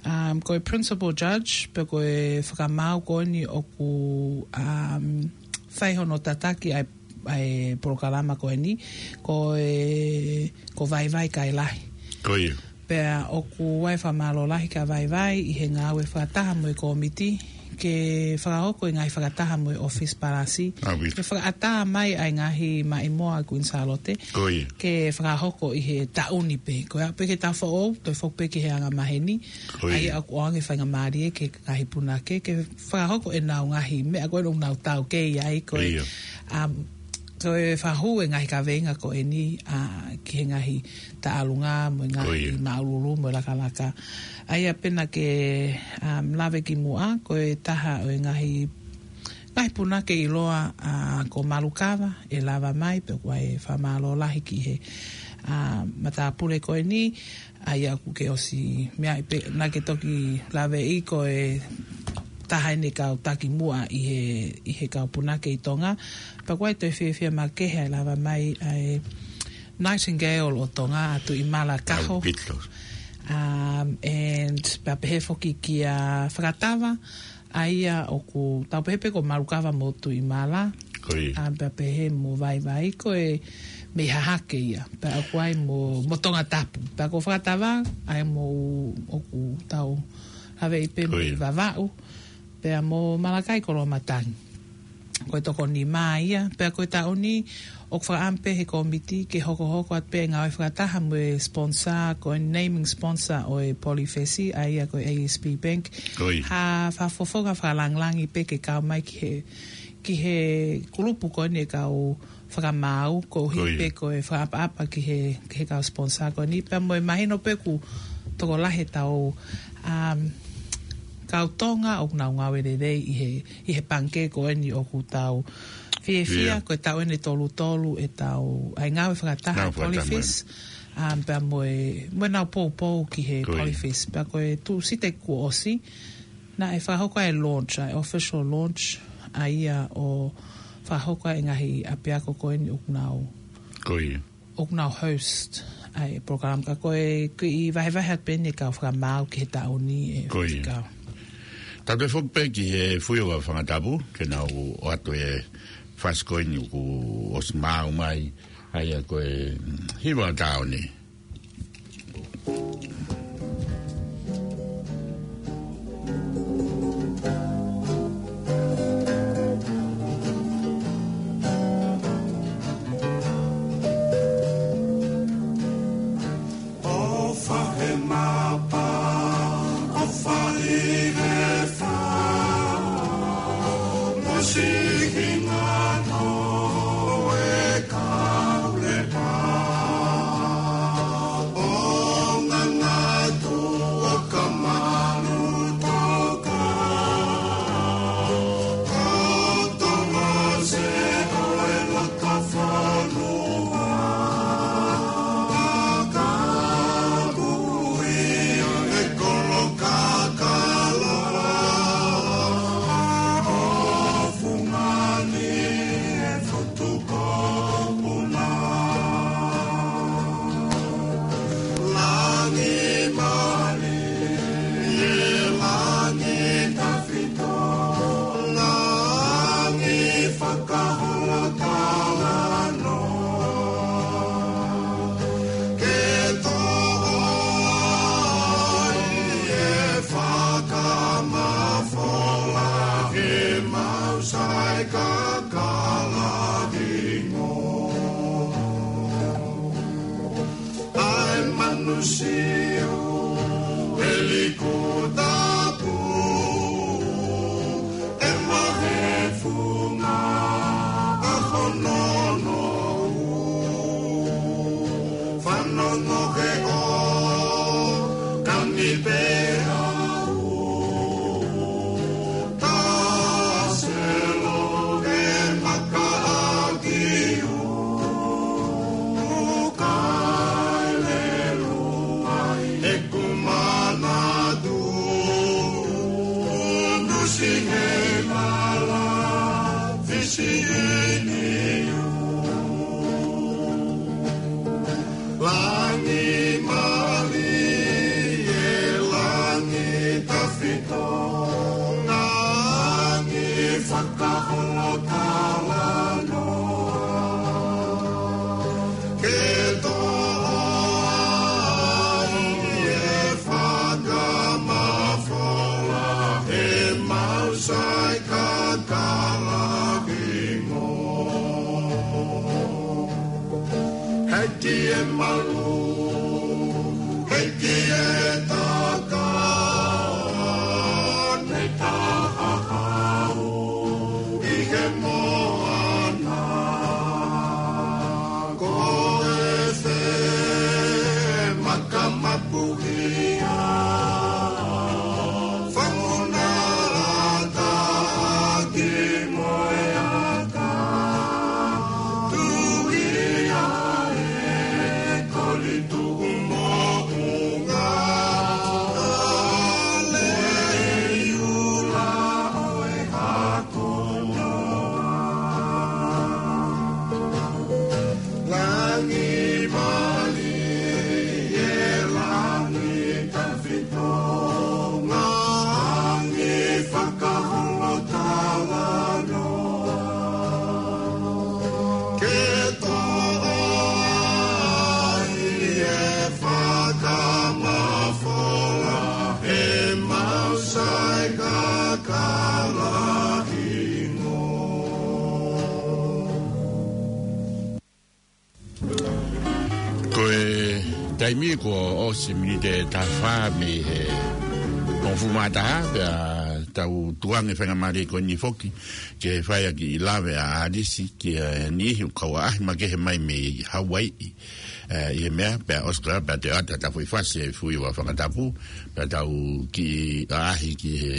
Um, ko e principal judge, pe ko e fakamaau ko eni ʻoku, um, fai hono tataki ʻa e ʻa e polokalama ko eni, ko e, ko Vaivai Kailahi. Ko ia. Pea ʻoku ʻi ai e fakamālō lahi kia Vaivai ʻi he ngāue fakataha mo e kōmiti, ke fakahoko e ngaahi fakataha mo e ʻōfisi palasi. ʻAupito. Ke fakaʻatā mai ʻa e ngaahi maʻimoa ʻa Kuini Sālote. Ko ia. Ke fakahoko ʻi he taʻu ni pē. Ko ia pē ke tafoʻou, toe foki pē ki he anga maheni. Ko ia. ʻA ia ʻoku ʻoange faingamālie ki he ngaahi punake, ke fakahoko ʻenau ngaahi meʻa ko ē ʻoku nau taukei ai ko ē. Ia. Um, ko e fakahū e ngaahi kaveinga ko eni, a, ki he ngaahi taʻalunga, mo e ngaahi Ko ia. māʻululu, mo e lakalaka. ʻA ia pē naʻa ke, um, lave ki muʻa, ko e taha ʻo e ngaahi, ngaahi punake ʻiloa, a, ko Malukava, ʻe lava mai, pea ʻoku ʻi ai e fakamālō lahi ki he, a, matāpule ko eni, ʻa ia ʻoku ke ʻosi meaʻi pē, naʻa ke toki laveʻi ko e taha eni e kau taki muʻa ʻi he, ʻi he kau punake ʻi Tonga. Pea ʻoku ʻi ai e toe fiefia makehe ʻa e lava mai ʻa e Nightingale ʻo Tonga, ʻa Tuʻimala Kaho. ʻAupito. Um, and pea pehē foki kia Fakatava, ʻa ia ʻoku tau pehē pē ko Malukava mo Tuʻimala. Ko ia. A, pea pehē mo Vaivai ko e mei Hahake ia. Pea ʻoku ʻi ai mo, mo Tongatapu. Pea ko Fakatava, ʻa ia mo ʻoku tau laveʻi pē Ko mei ia. Vavaʻu. Pea mo Malakai Koloamatangi. Ko e toko nima ia. Pea ko e taʻu ni, ʻoku fakaʻamu pē he kōmiti ke hokohoko atu pē ngāue fakataha mo e sponsor, ko e naming sponsor ʻo e Poly Fesi, ʻa ia ko e A S B Bank. Ko ia. Ha fakafofonga fakalāngilangi pē ke kau mai ki he, ki he kulupu ko eni e kau fakamaau, koeʻuhi Ko ia. pē ko e fakaʻapaʻapa ki he, ki he kau sponsor ko eni. Pea mo e mahino pē ʻoku tokolahi ʻetau, um, kau Tonga ʻoku nau ngāue lelei ʻi he, ʻi he pangikē ko eni ʻoku tau fiefia, Ia. ko e taʻu eni ʻe tolu tolu ʻetau, ʻa e ngāue fakataha Ngāue fakataha Polyfis, um, pea mo e, mo ʻenau poupou ki he Ko ia. Polyfis. Pea ko e Tūsite kuo ʻosi, naʻe fakahoko ai e launch, ʻa e official launch, ʻa ia ʻo fakahoko ai e ngaahi ʻapiako ko eni ʻoku nau Ko ia. ʻoku nau host ʻa e program ka ko e kiʻi vahevahe atu pē eni e kau fakamaau ki he taʻu ni e Ko ia. Faifekau. Tau toe foki pē ki he Fuiova Fangatapu, ke nau ʻoatu e fasi ko eni ʻoku ʻosi maau mai, ʻa ia ko e, mm, hiva ʻo e taʻu ni. ʻOfa he mapa, ʻofa ʻi he fā, mo siʻi hingoa ʻo e kau lepa. Kakala hingo. ʻAi manusiu, ʻelikutapu, ʻe mahefunga, ʻa hono nou. Fanongo he ʻo, kani pea u. Taselo he makaʻaki u, ukaelelu ai ʻeku manatu, nusi he lala fisi ini u. Langi mālie, langi tafito, langi fakaholo talanoa. Ke toʻo ai e fakamafola, he mau sai kakala hingo. Heki e malu, heki e taka, ne taha hau ʻi he moana. Ko e fē makamapuhia, fanguna ata ki moe aka. Tuhi ʻa e koli tuʻu moʻunga, ʻa e lei ula ʻo e hako noa. Langi mālie, langi tafito, langi fakaholo talanoa. Ke toʻo ai e fakamafola, he mau sai kakala hingo. Ko e taimi kuo ʻosi miniti ʻe taha fā mei he hongofulu mā taha, pea tau tukuange faingamālie ko eni foki ke fai ʻaki e lave ʻa ʻAlisi ki he niʻihi ʻoku kau ʻaʻahi makehe mai mei Hauaiʻi. ʻE, ʻi he meʻa, pea ʻosi ko ia, pea te ʻata ta fui fasi e fui ua fakatapu, pea tau kiʻi ʻaʻahi ki he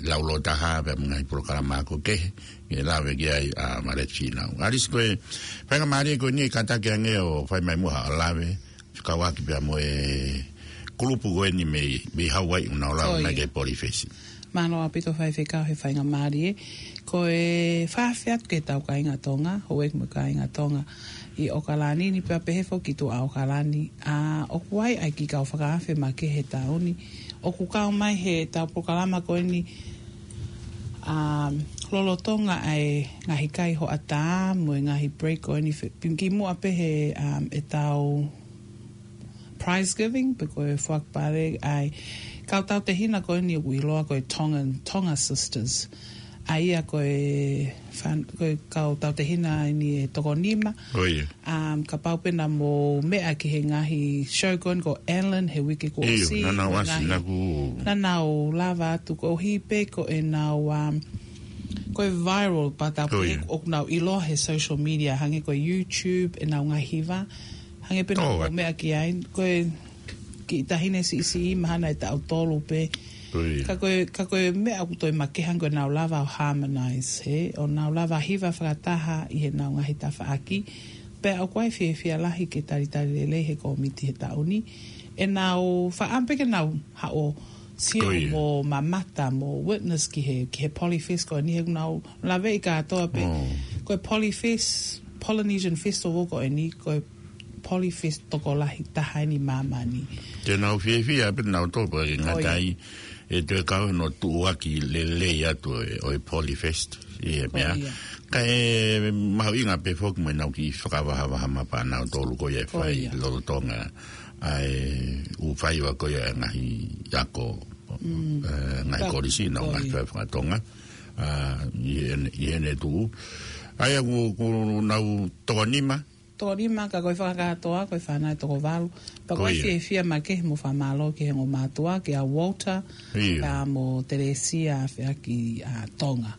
laulo taha, pea mo e ngaahi polokalama ako kehe, ke lave ki ai ʻa Maleti Fīnau. ʻAlisi, ko e faingamālie ko eni ʻe kātaki ange ʻo fai mai muʻa haʻo lave, fekauʻaki pea mo e kulupu ko eni mei, mei Hauaiʻi ʻoku nau lave mai ki he Polyfest. Mālō ʻaupito Faifekau he faingamālie. Ko e fakaafe atu ki heʻetau kāinga Tonga, houʻeiki mo e kāinga Tonga ʻi ʻAokalani ni pea pehē foki ki tuʻa ʻAokalani. ʻA, ʻoku ʻi ai ʻa e kiʻi kau fakaafe makehe he taʻu ni. ʻOku kau mai heʻetau polokalama ko eni, ʻa, lolotonga ʻa e ngaahi kai hoʻatā mo e ngaahi break ko eni fe-, pea kimuʻa pē he, ʻa, ʻetau prize giving, pe ko e fakapale ʻa e kau tautehina ko eni ʻoku ʻiloa ko e Tongan, Tonga Sisters. ʻA ia ko e fan-, ko e kau tautehina eni ʻe toko nima. ʻA, kapau pē naʻa mou meʻa ki he ngaahi show ko eni ko Ellen he uike kuo ʻosi, naʻa nau ʻasi, naʻa ku, naʻa nau lava atu koeʻuhi pē ko ʻenau, ʻa, ko e viral pata pē ʻoku nau ʻiloa he social media, hangē ko e YouTube, ʻenau ngaahi hiva. Hangē pē naʻa mou meʻa ki ai, ko e kiʻi taʻahine siʻisiʻi mahalo ʻe taʻu tolu pē. Ka ko e, ka ko e meʻa ʻoku toe makehe ange ko ʻenau lava ʻo harmonize, hē, ʻo nau lava hiva fakataha ʻi heʻenau ngaahi tafaʻaki. Pea ʻoku ʻi ai e fiefia lahi ke talitali lelei he kōmiti he taʻu ni. ʻEnau faʻa pē ke nau haʻu ʻo sio mo mamata mo witness ki he, ki he Polyfest ko eni he ʻoku nau laveʻi kātoa pē. Ko e Polyfest, Polynesian Festival ko eni, ko e Polyfest tokolahi taha eni ʻi māmani. Te nau fiefia pē nau tō pē ke ngata ai, ʻe toe kau hono tuʻuaki lelei atu ʻo e, ʻo e Polyfest ʻi he meʻa. Ka ʻe mahuʻinga pē foki mo ʻenau kiʻi fakavahavaha mapa ʻanautolu ko ia ʻe fai lolotonga ʻa e ʻū faiva ko ia ʻa e ngaahi ako, ʻe, ngaahi kolisi, ngaahi faiva fakatonga. ʻa, ʻi heʻene, ʻi heʻene tuʻu. ʻA ia ʻoku, ʻoku nau toko nima. Toko nima, ka ko e fakakātoa, ko e fānau ʻe toko valu. Pea ko e fiefia makehe mo fakamālō ki he ongo mātuʻa, kia Walter, pea mo Telesia Afeaki ʻa Tonga.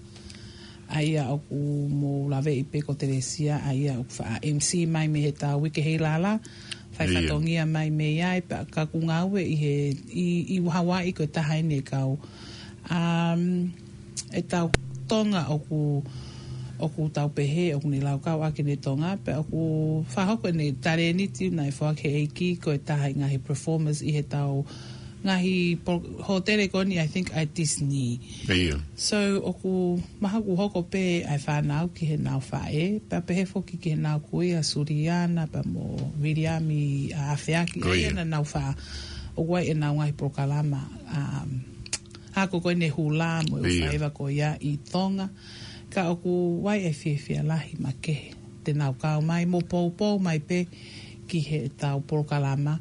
ʻA ia ʻoku mou laveʻi pē ko Telesia, ʻa ia ʻoku faʻa M C mai mei he tau uike hei lala, fai fatongia mai mei ai, pea ka ʻoku ngāue ʻi he, ʻi, ʻi Hawaii ko e taha eni e kau. Um, e tau Tonga ʻoku, ʻoku tau pehē, ʻoku ne laukau ʻaki ʻene Tonga, pea ʻoku fakahoko ʻene talēniti naʻe foaki he ʻEiki ko e taha ʻi he ngaahi performers ʻi he tau ngaahi pol-, hōtele ko eni, I think, ʻa Disney. So, ʻoku mahalo ʻoku hoko pē ʻa e fānau ki heʻenau faʻē, pea pehē foki ki heʻenau kui ʻa Suliana, pea mo Viliami ʻa Afeaki, ʻa ia naʻa nau fā, ʻoku ʻi ai ʻenau ngaahi polokalama, um, ako ko eni hula mo e faiva ko ia ʻi Tonga. Ka ʻoku ʻi ai e fiefia lahi makehe te nau kau mai mo poupou mai pē ki he tau polokalama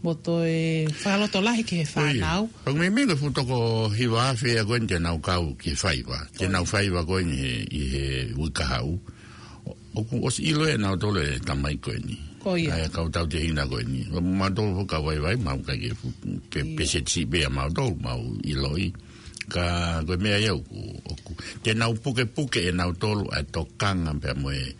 mo toe fakalotolahi ki he fānau. ʻOku meimei ko e fuʻu toko hiva afe ia ko eni te nau kau ki he faiva. Te nau faiva ko eni he, ʻi he uike kahaʻu. ʻOku ʻosi ʻilo ʻe nautolu e tamaiki ko eni. Ko ia. ʻA e kau tautehina ko eni. Mautolu foki ka vaivai, mau kai ke fu-, pe-, peseti pē ʻa mautolu, mau ʻiloʻi. Ka ko e meʻa ia ʻoku, ʻoku. Te nau pukepuke ʻe nautolu ʻa e tokanga pea mo e,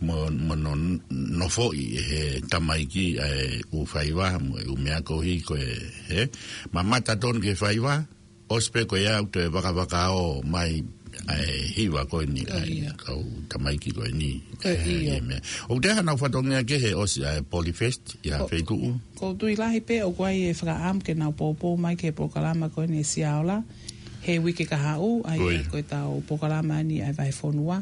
mo, mo hono nofoʻi ʻe he tamaiki ʻa e ʻū faiva, mo e ʻū meʻa koeʻuhi ko e, he, mamata tonu ki he faiva, ʻosi pē ko ia ʻoku toe vakavakaʻi mai ʻa e hiva ko eni, ʻa e kau tamaiki ko eni. ʻE, ʻio. ʻOku toe ʻi ai haʻanau fatongia kehe ʻosi ʻa e Polyfest, ʻi ha feituʻu. ʻOku ou tui lahi pē ʻoku ʻi ai e fakaʻamu ke nau poupou mai ki he polokalama ko eni ʻa e Siaola, he uike kahaʻu, ʻa ia ko e tau polokalama eni ʻa e Vahefonua,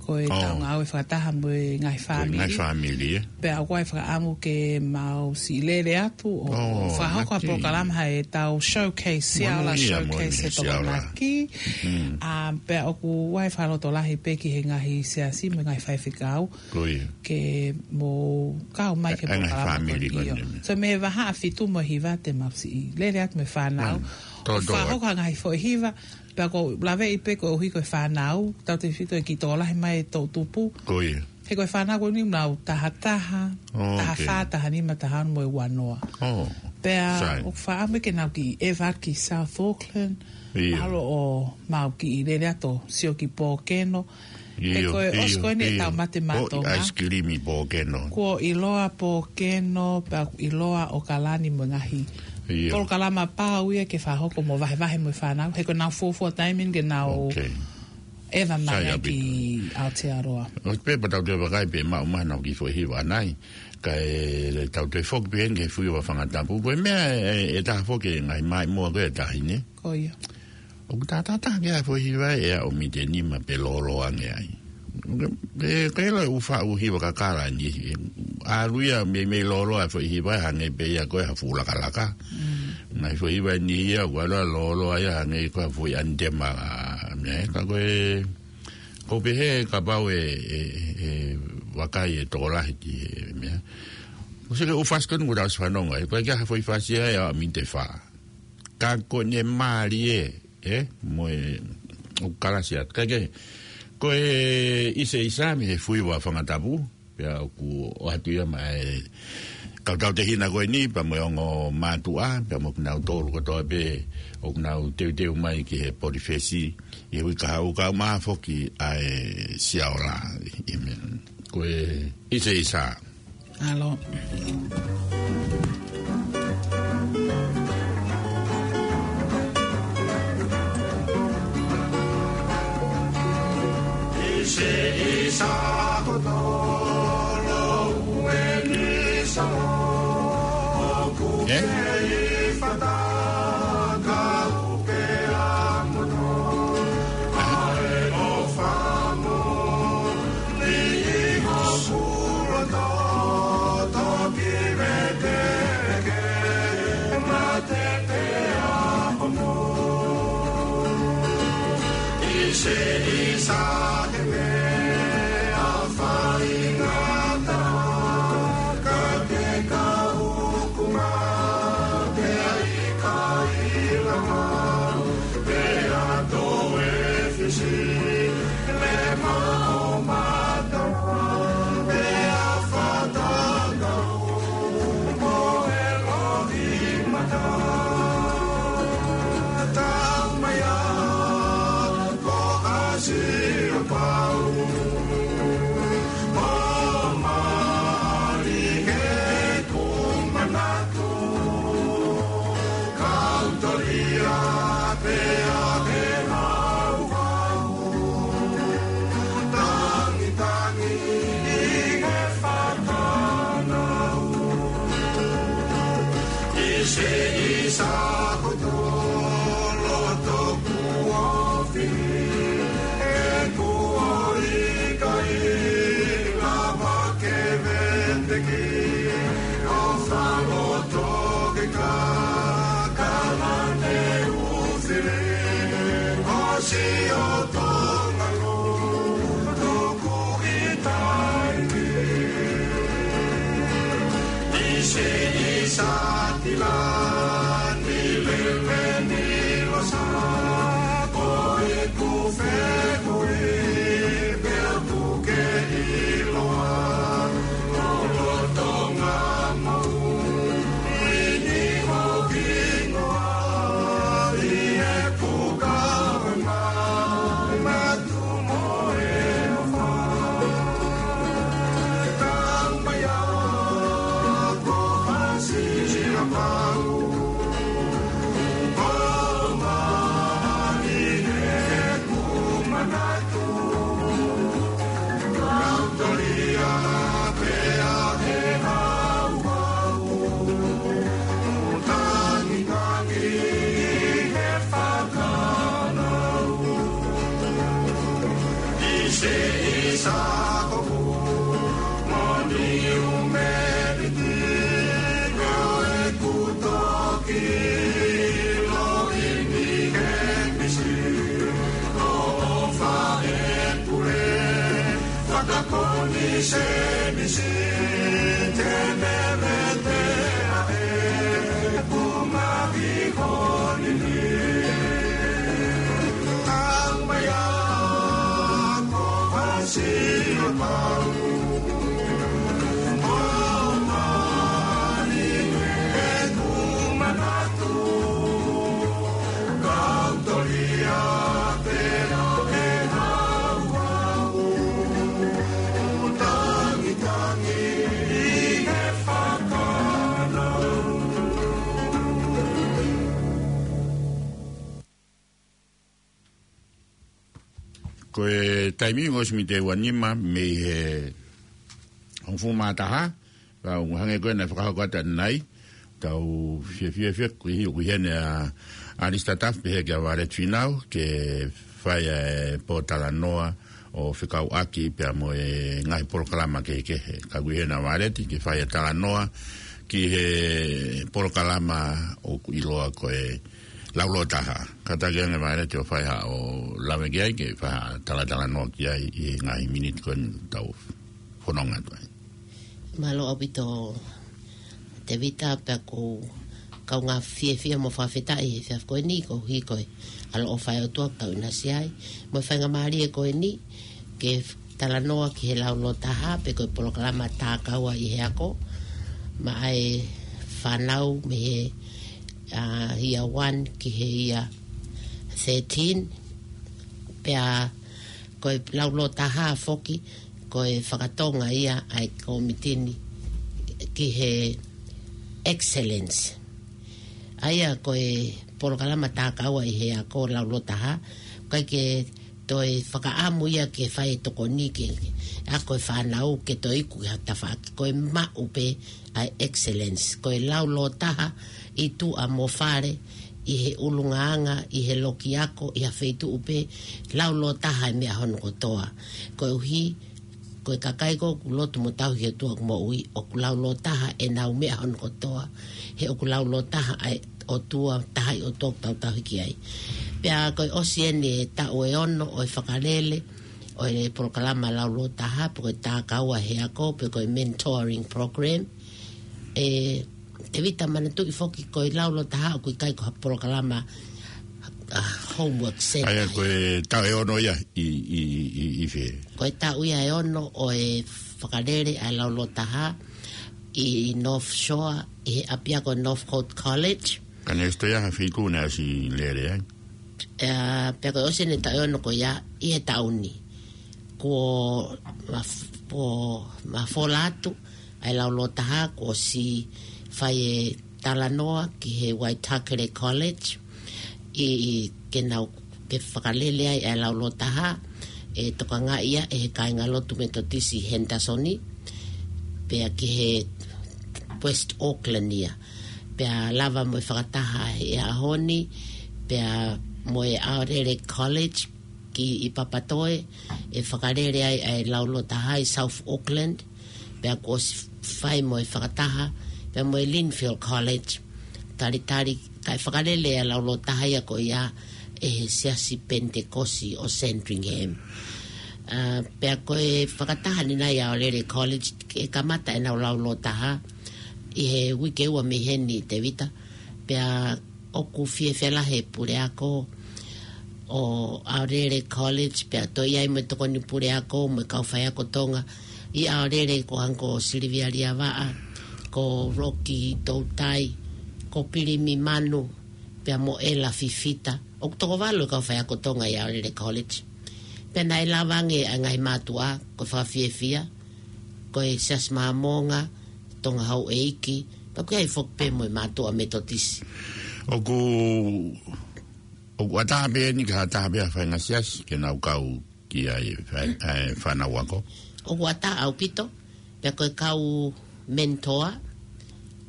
ko e tau ngāue fakataha mo e ngaahi fāmili. Pea ʻoku ʻi ai e fakaʻamu ke mau siʻi lele atu ʻo fakahoko ha polokalama ʻa e tau showcase, Siaola showcase he Tokonaki. ʻA, pea ʻoku ʻi ai e fakalotolahi pē ki he ngaahi siasi mo e ngaahi faifekau ke mou kau mai ki he polokalama ko eni. So mei he vahaʻa fitu mo e hiva te mau siʻi lele atu mo e fānau ʻo fakahoko ha ngaahi foʻi hiva, pea ʻoku ou laveʻi pē koeʻuhi ko e fānau, tautefito e kiʻi tokolahi mai e toʻutupu. He ko e fānau ko eni nau taha taha, taha fā, taha nima, taha ono mo e ua noa. Pea ʻoku fakaʻamu ke nau kiʻi ʻeva ki South Auckland, ʻalu ʻo mau kiʻi lele atu ʻo sio ki Pōkeno. He ko e ʻosi ko eni e tau mate matonga. ʻAisi kilimi Pōkeno. Kuo ʻiloa Pōkeno, pea ʻoku ʻiloa ʻAokalani mo e ngaahi polokalama pau ia ke fakahoko mo vahevahe mo e fānau. He ko ʻenau fuofua taimi eni ke nau ʻeva mai ki Aotearoa. ʻOsi pē pea tau toe vakai pē maʻu mai haʻanau kiʻi foʻi hiva ʻanai. Kae tau toe foki pē heni ki he fuiva fanga tapu. Ko e meʻa ʻe, ʻe taha foki e ngaahi maʻimoa ko e tahi ni. Ko ia. ʻOku tātātā ke ʻai foʻi hiva ʻe aʻu mita nima pe lōloa ange ai. Ke, ke ʻilo e ʻū faʻu hiva kakala ni. ʻAlu ia meimei lōloa e foʻi hiva hangē pē ia ko e ha fuʻu lakalaka. Ngaahi foʻi hiva ni ia, ʻoku ʻalu ia lōloa ia hangē ko e ha foʻi ʻanitema, meʻa, ka ko e, ʻoku ou pehē kapau ʻe, ʻe, ʻe vakai e tokolahi ki he meʻa. ʻOsi ko e ʻū fasi ko eni kuo tau ʻosi fanongo ai, ko e kiʻi ha foʻi fasi ia ʻa mita fā. Ka ko ʻene mālie, ē, mo e, ʻoku kalasi atu. Ka ke, ko e ʻiseʻisa mei he fuiva fanga tapu, pea ʻoku ʻoatu ia maʻa e kau tautehina ko eni, pea mo e ongo mātuʻa, pea mo kinautolu kotoa pē, ʻoku nau teuteu mai ki he Polyfest, ʻi he uike kahaʻu kae ʻumaʻā foki ʻa e Siaola, ʻi he meʻa. Ko e ʻiseʻisa. ʻAlo. ʻIseʻisa kotoa ʻoku eni sa ʻoku kei fata ka ʻoku ke ʻamono. ʻAi ʻo famo Ko e taimi ʻosi miniti ʻe ua nima mei he hongofulu mā taha, ka ʻoku hangē ko ē naʻe fakahoko atu ʻanenai, tau fiefia, fiefia, ko e hia, ko e hia ʻa Alista Tafu, pehē kia Violet Finau, ke fai ʻa e pōtalanoa ʻo fekauʻaki pea mo e ngaahi polokalama kehekehe. Ka ko e hia ʻa Violet ke fai ʻa e talanoa ki he polokalama ʻoku ʻiloa ko e Laulotaha. Kātaki ange Violet ʻo fai haʻo lave ki ai ke fai ha talatalanoa ki ai ʻi he ngaahi miniti ko eni tau fononga atu ai. Mālō ʻaupito Tēvita, pea ʻoku ou kaungā fiefia mo fakafetaʻi he efiafi ko eni koeʻuhi ko e ʻaloʻofa ʻa e ʻOtua ʻoku tau ʻinasi ai. Mo e faingamālie ko eni ke talanoa ki he Laulotaha pe ko e polokalama Tākaua ʻi he Ako, maʻa e fānau mei he, ʻa, year one ki he year thirteen. Pea ko e Laulotaha foki, ko e fakatonga ia ʻa e kōmiti ni ki he excellence. ʻA ia ko e polokalama Tākaua ʻi he Ako, Laulotaha, ʻikai ke toe fakaʻamu ia ke fai e tokoni ke, ke ako e fānau ke toe iku ki ha tafaʻaki, ko e maʻu pē ʻa e excellence, ko e Laulotaha ʻi tuʻa mo fale, ʻi he ʻulungaanga, ʻi he loki ako, ʻi ha feituʻu pē, Laulotaha e meʻa hono kotoa. Koeʻuhi ko e kakai ko ē ʻoku lotu mo tauhi ʻOtua ʻoku moʻui, ʻoku Laulotaha ʻenau meʻa hono kotoa, he ʻoku Laulotaha ʻa e ʻOtua, taha ʻi ʻOtua ʻoku tau tauhi ki ai. Pea ko e ʻosi eni e taʻu ʻe ono ʻo e fakalele ʻo e polokalama Laulotaha, pe ko e Tākaua he Ako, pe ko e mentoring program. ʻE, Tēvita, manatuʻi foki ko e Laulotaha ʻoku ʻikai ko ha polokalama homework center. ʻA ia ko e taʻu ʻe ono ia ʻi, ʻi, ʻi, ʻi fē? Ko e taʻu ia ʻe ono ʻo e fakalele ʻa e laulotaha ʻi North Shore, ʻi he ʻapiako Northcote College. Ka naʻe ʻosi ia ha fitu naʻe ʻosi lele ai. ʻE, pea ko e ʻosi ʻene taʻu ʻe ono ko ia ʻi he taʻu ni. Kuo ma f-, kuo mafola atu ʻa e laulotaha, kuo ʻosi fai e talanoa ki he Waitakere College, ʻi, ʻi ke nau, ke fakalele ai ʻa e laulotaha, ʻe tokangaʻi ia ʻe he kāingalotu Metotisi Henderson, pea ki he West Auckland ia. Pea lava mo e fakataha he ʻaho ni, pea mo e ʻAorere College ki ʻi Papatoe, ʻe fakalele ai ʻa e laulotaha ʻi South Auckland, pea kuo ʻosi fai mo e fakataha, pea mo e Lindfield College, talitali, kae fakalele ʻa e laulotaha ia ko ia ʻe he Siasi Penitekosi ʻo Sandringham. ʻA, pea ko e fakataha ni nai ʻAorere College, ʻe kamata ʻenau laulotaha ʻi he uike ua mei heni, Tevita, pea ʻoku fiefia lahi e puleako ʻo ʻAorere College, pea toe ʻi ai mo e tokoni puleako mo e kau faiako Tonga ʻi ʻAorere, ko Uncle Silivia Liavaʻa, ko Roki Toutai, ko Pilimi Manu, pea mo ʻEla Fifita. ʻOku toko valu e kau faiako Tonga ʻi ʻAorere College. Pea naʻe lava ange ʻa e ngaahi mātuʻa, ko e fakafiefia, ko e Siasi Māmonga, Tonga Houʻeiki, pea ʻoku ʻi ai foki pē mo e mātuʻa Metotisi. ʻOku, ʻoku ʻatā pē eni ki ha taha pē ha faʻahinga siasi ke nau kau ki ai e fā-, ʻa e fānau ako? ʻOku ʻatā ʻaupito, pea ko e kau mentor,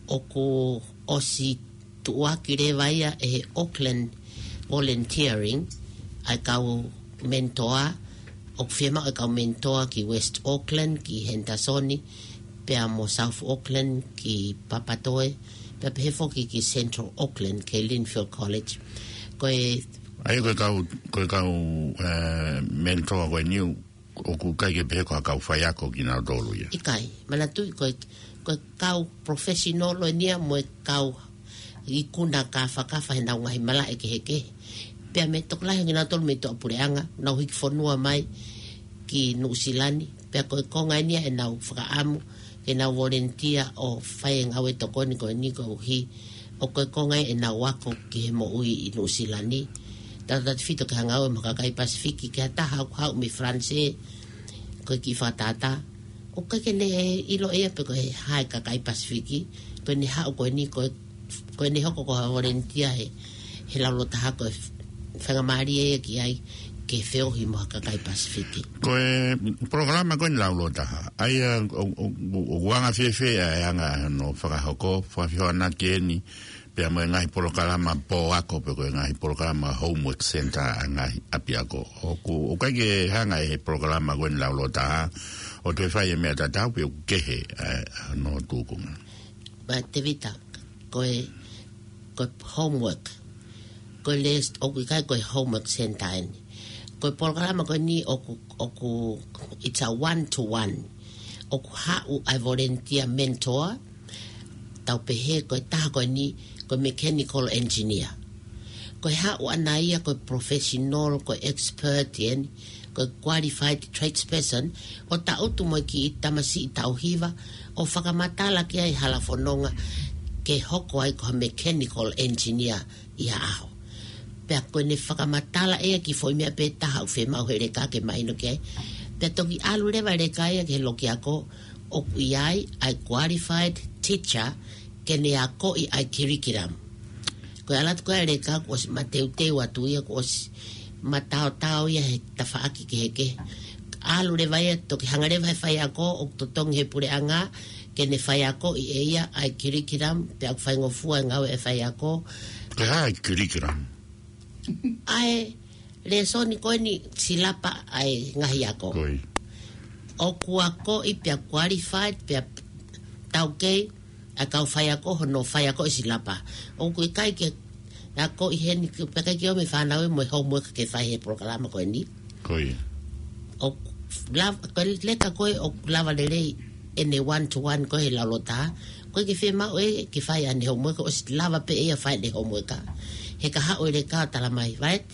ʻoku ʻosi tuʻuaki leva ia ʻe he Auckland Volunteering, ʻa e kau mentor, ʻoku fiemaʻu e kau mentor ki West Auckland, ki Henderson, pea mo South Auckland, ki Papatoe, pea pehē foki ki Central Auckland, ki Lindfield College. Ko e ʻA ia ko e kau, ko e kau, eh, mentor ko eni ʻoku ʻikai ke pehē ko ha kau faiako kinautolu ia. ʻIkai, manatuʻi ko e, ko e kau professional ʻeni ia mo e kau ikuna kāfakafa heʻenau ngaahi malaʻe kehekehe. Pea mei he tokolahi ʻo kinautolu mei tuʻapuleʻanga, nau hiki fonua mai ki Nuʻusila ni, pea ko e konga eni ia ʻenau fakaʻamu ke nau volunteer ʻo fai e ngāue tokoni ko eni koeʻuhi ʻoku ko e konga ia ʻenau ako ki he moʻui ʻi Nuʻusila ni. Tautautefito ki he ngāue mo e kakai Pasifiki, ki ha taha ʻoku haʻu mei Falanisē, ko e kiʻi fakatātā. ʻOku ʻikai ke ne ʻilo ʻe ia pe ko e hā e kakai Pasifiki, ko ʻene haʻu ko eni, ko e, ko ʻene hoko ko ha volunteer he, he laulotaha ko e faingamālie ia ki ai ke feohi mo ha kakai Pasifiki. Ko e polokalama ko eni laulotaha, ʻa ia ʻo, ʻo, ʻo, ʻoku anga fēfē ʻa e anga hono fakahoko, fakafehoanaki eni, pea mo e ngaahi polokalama pō ako, pe ko e ngaahi polokalama homework center ʻa e ngaahi ʻapiako. ʻOku, ʻoku ʻikai ke hanga ʻe he polokalama ko eni laulotaha ʻo toe fai e meʻa tatau pe ʻoku kehe ʻa e, ʻa hono tūkunga. Pea Tevita, ko e, ko e homework. Ko e lēsoni, ʻoku ʻikai ko e homework center eni. Ko e polokalama ko eni ʻoku, ʻoku, it's a one to one. ʻOku haʻu ʻa e volunteer mentor, tau pehē ko e taha ko eni, ko e mechanical engineer. Ko e haʻu ʻana ia ko e professional, ko e expert eni, ko e qualified tradesperson, ʻo tangutu mo e kiʻi tamasiʻi taʻu hiva, ʻo fakamatala ki ai hala fononga ke hoko ai ko ha mechanical engineer ʻi ha ʻaho. Pea ko ʻene fakamatala ʻe ia ki he foʻi meʻa pē taha ʻoku fiemaʻu he leka ke mahino ki ai. Pea toki ʻalu leva e leka ia ki he loki ako ʻoku ʻi ai ʻa e qualified teacher ke ne akoʻi ʻa e curriculum. Ko e ʻalu atu ko ē e leka kuo ʻosi mateuteu atu ia, kuo ʻosi mataotao ia he tafaʻaki kehekehe. ʻAlu leva ia toki hanga leva he faiako ʻoku totongi he puleʻanga ke ne faiakoʻi ʻe ia ʻa e curriculum, pea ʻoku faingofua e ngāue e faiako. Ko e hā e curriculum? ʻA e lēsoni ko eni, silapa ʻa e ngaahi ako. Ko ia. ʻOku akoʻi pea qualified pea taukei ʻa e kau faiako hono faiako e silapa. ʻOku ʻikai ke akoʻi heni, pea ʻikai ke ʻomi e fānau ia mo e homework ke fai he polokalama ko eni. Ko ia. ʻOku lava, ko e leka ko ē ʻoku lava lelei ʻene one to one ko ē he laulotaha. ʻOku ʻikai ke fiemaʻu ʻe ia ke fai ʻene homework, ʻosi lava pē ʻe ia fai ʻene homework. He ka haʻu e leka ʻo tala mai, Valet,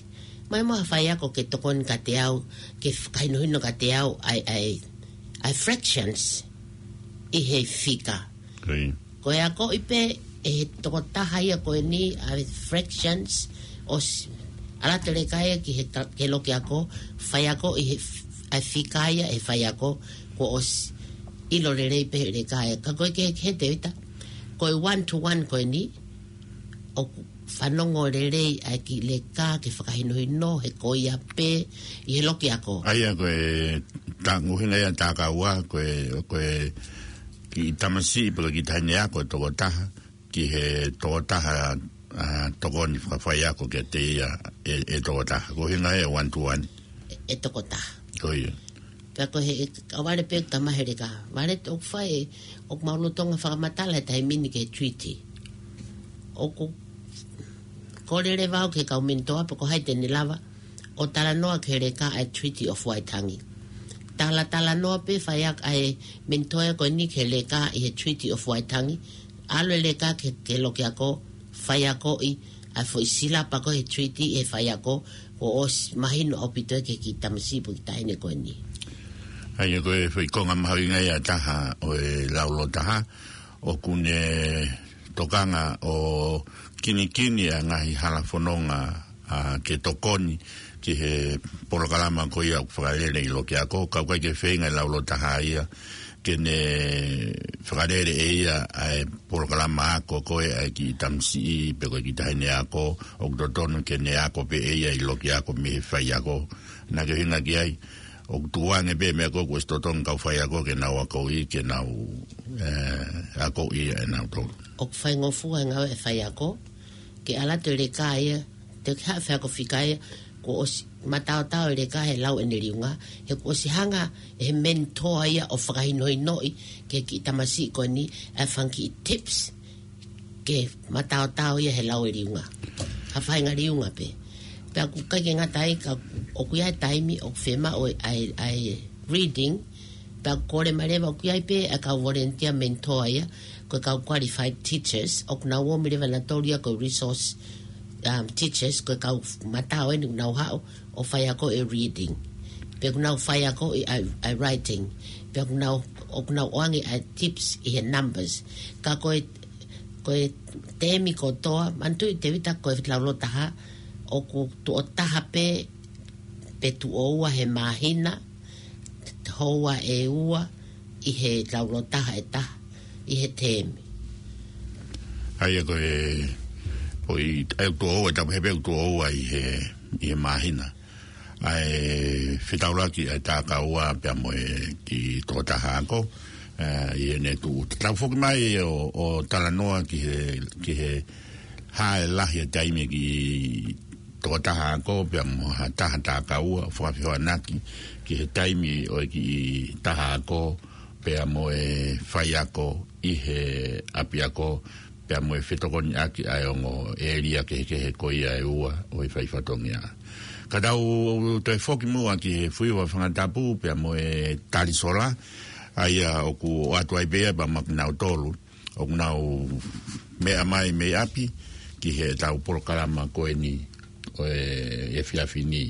mai mo ha faiako ke tokoni kiate au, ke fakahinohino kiate au ʻa e, ʻa e, ʻa e fractions ʻi he fika. Ko ia. Ko e akoʻi pē ʻe he tokotaha ia ko eni ʻa e fractions, ʻosi ʻalu atu e leka ia ki he ka-, ki he loki ako, faiako ʻi he f-, ʻa e fika ia ʻe he faiako, kuo ʻosi ʻilo lelei pē he leka ia. Ka ko e kehekehe, Tēvita, ko e one to one ko eni, ʻoku fanongo lelei ʻa e kiʻi leka ke fakahinohino he ko ia pē ʻi he loki ako. ʻA ia ko e ta-, ʻuhinga ia ʻa e takaua, ko e, ko e kiʻi tamasiʻi pe ko e kiʻi taʻahine ako ʻe tokotaha, ki he tokotaha, ʻa, tokoni fakafaiako kiate ia ʻe, ʻe tokotaha. Ko e ʻuhinga ia ʻa e one to one. ʻE, ʻe tokotaha. Ko ia. Pea ko e he, ʻe, ka Valet pē ʻoku tala mai he leka, Valet, ʻoku fai ē, ʻoku mau lolotonga fakamatala he taimi ni ki he treaty. ʻOku kole leva au ki he kau mentor pe ko hai te ne lava ʻo talanoa ki he leka ʻa e Treaty of Waitangi. Talatalanoa pē faiako ʻa e mentor ko eni ki he leka ʻi he Treaty of Waitangi. ʻAlu e leka ki, ki he loki ako, faiakoʻi ʻa e foʻi silapa ko ē he treaty ʻe he faiako, kuo ʻosi mahino ʻaupito ia ki he kiʻi tamasiʻi pe ko e kiʻi taʻahine ko eni. ʻA ia ko e foʻi konga mahuʻinga ia ʻe taha ʻo e laulototaha, ʻoku ne tokanga ʻo kinikini ʻa e ngaahi hala fononga, ʻa, ke tokoni ki he polokalama ko ia ʻoku fakalele ʻi loki ako, ka ʻoku ʻikai ke feinga e laulototaha ia ke ne fakalele ʻe ia ʻa e polokalama ako ko ē ʻa e kiʻi tamasiʻi pe ko e kiʻi taʻahine ako, ʻoku totonu ke ne ako pē ʻe ia ʻi loki ako mei he faiako. Naʻa ke ʻuhinga ki ai, ʻoku tukuange pē meʻa ko ē kuo ʻosi totonu kau faiako ke nau akoʻi, ke nau, ē, akoʻi ʻe nautolu. ʻOku faingofua e ngāue ʻa e faiako, ke ʻalu atu e leka ia, te ke haʻu faiako fika ia, kuo ʻosi mataotao e leka he lau ʻene liunga, he kuo ʻosi hanga ʻe he mentor ia ʻo fakahinohinoʻi ki he kiʻi tamasiʻi ko eni ʻa e fanga kiʻi tips ke mataotao ia he lau e liunga. Ha faʻahinga liunga pē. Pea ʻoku ʻikai ke ngata ai ka ʻoku ʻi ai e taimi ʻoku fiemaʻu ʻa e, ʻa e reading, pea ʻoku kole mai leva ʻoku ʻi ai pē ʻa e kau volunteer mentor ia, ko e kau qualified teachers, ʻoku nau ō mai leva nautolu ia ko e resource, um, teachers, ko e kau matao eni ʻoku nau haʻu ʻo faiako e reading. Pea ʻoku nau faiako ʻi ʻa e, ʻa e writing. Pea ʻoku nau, ʻoku nau ʻoange ʻa e tips ʻi he numbers. Ka ko e, ko e teemi kotoa, manatuʻi Tēvita ko e laulototaha, ʻoku tuʻo taha pē, pe tuʻo ua he māhina, houa ʻe ua ʻi he laulototaha ʻe taha ʻi he teemi. ʻA ia ko e, ko e, ʻa e tuʻo ua, tau pehē pē tuʻo ua ʻi he, ʻi he māhina. ʻA e fetaulaki ʻa e takaua pea mo e kiʻi tokotaha ako, ē, ʻi heʻene tuʻu. Tau foki mai ʻo, ʻo talanoa ki he, ki he hā e lahi e taimi e kiʻi tokotaha ako pea mo ha taha takaua, ʻo fakafehoanaki ki he taimi ʻo e kiʻi taha ako pea mo e faiako ʻi he ʻapiako, pea mo e fetokoniʻaki ʻa e ongo ʻēlia kehekehe ko ia ʻe ua ʻo e fai fatongia. Ka tau toe foki muʻa ki he fuiva fanga tapu pea mo e tali sola, ʻa ia ʻoku ʻoatu ai pē ia pea mo kinautolu ʻoku nau meʻa mai mei ʻapi ki heʻetau polokalama ko eni ʻo e efiafi ni.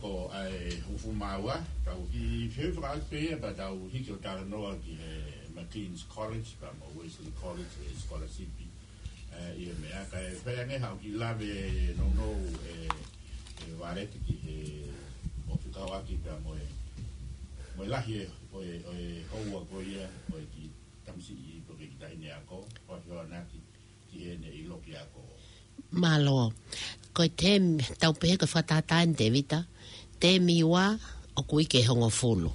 Ko ai hufu maua, tau ki feu fakaʻaki pē ia, pea tau hiki ʻo talanoa ki he McLean's College, pea mo Wesley College, e scholarship, eh, ʻi he meʻa, kae fai ange haʻo kiʻi lave nounou, eh, eh, Valeti ki he ʻoku fekauʻaki pea mo e, mo e lahi e, ʻo e, ʻo e houa ko ia, ʻo e kiʻi tamasiʻi pe ko e kiʻi taʻahine ako, ʻo e hoanaki, ki heʻene ʻilo ki he ako. Mālō. Ko e teemi, tau pehē ko e fakatātā eni Tēvita, teemi ua ʻoku uike hongofulu.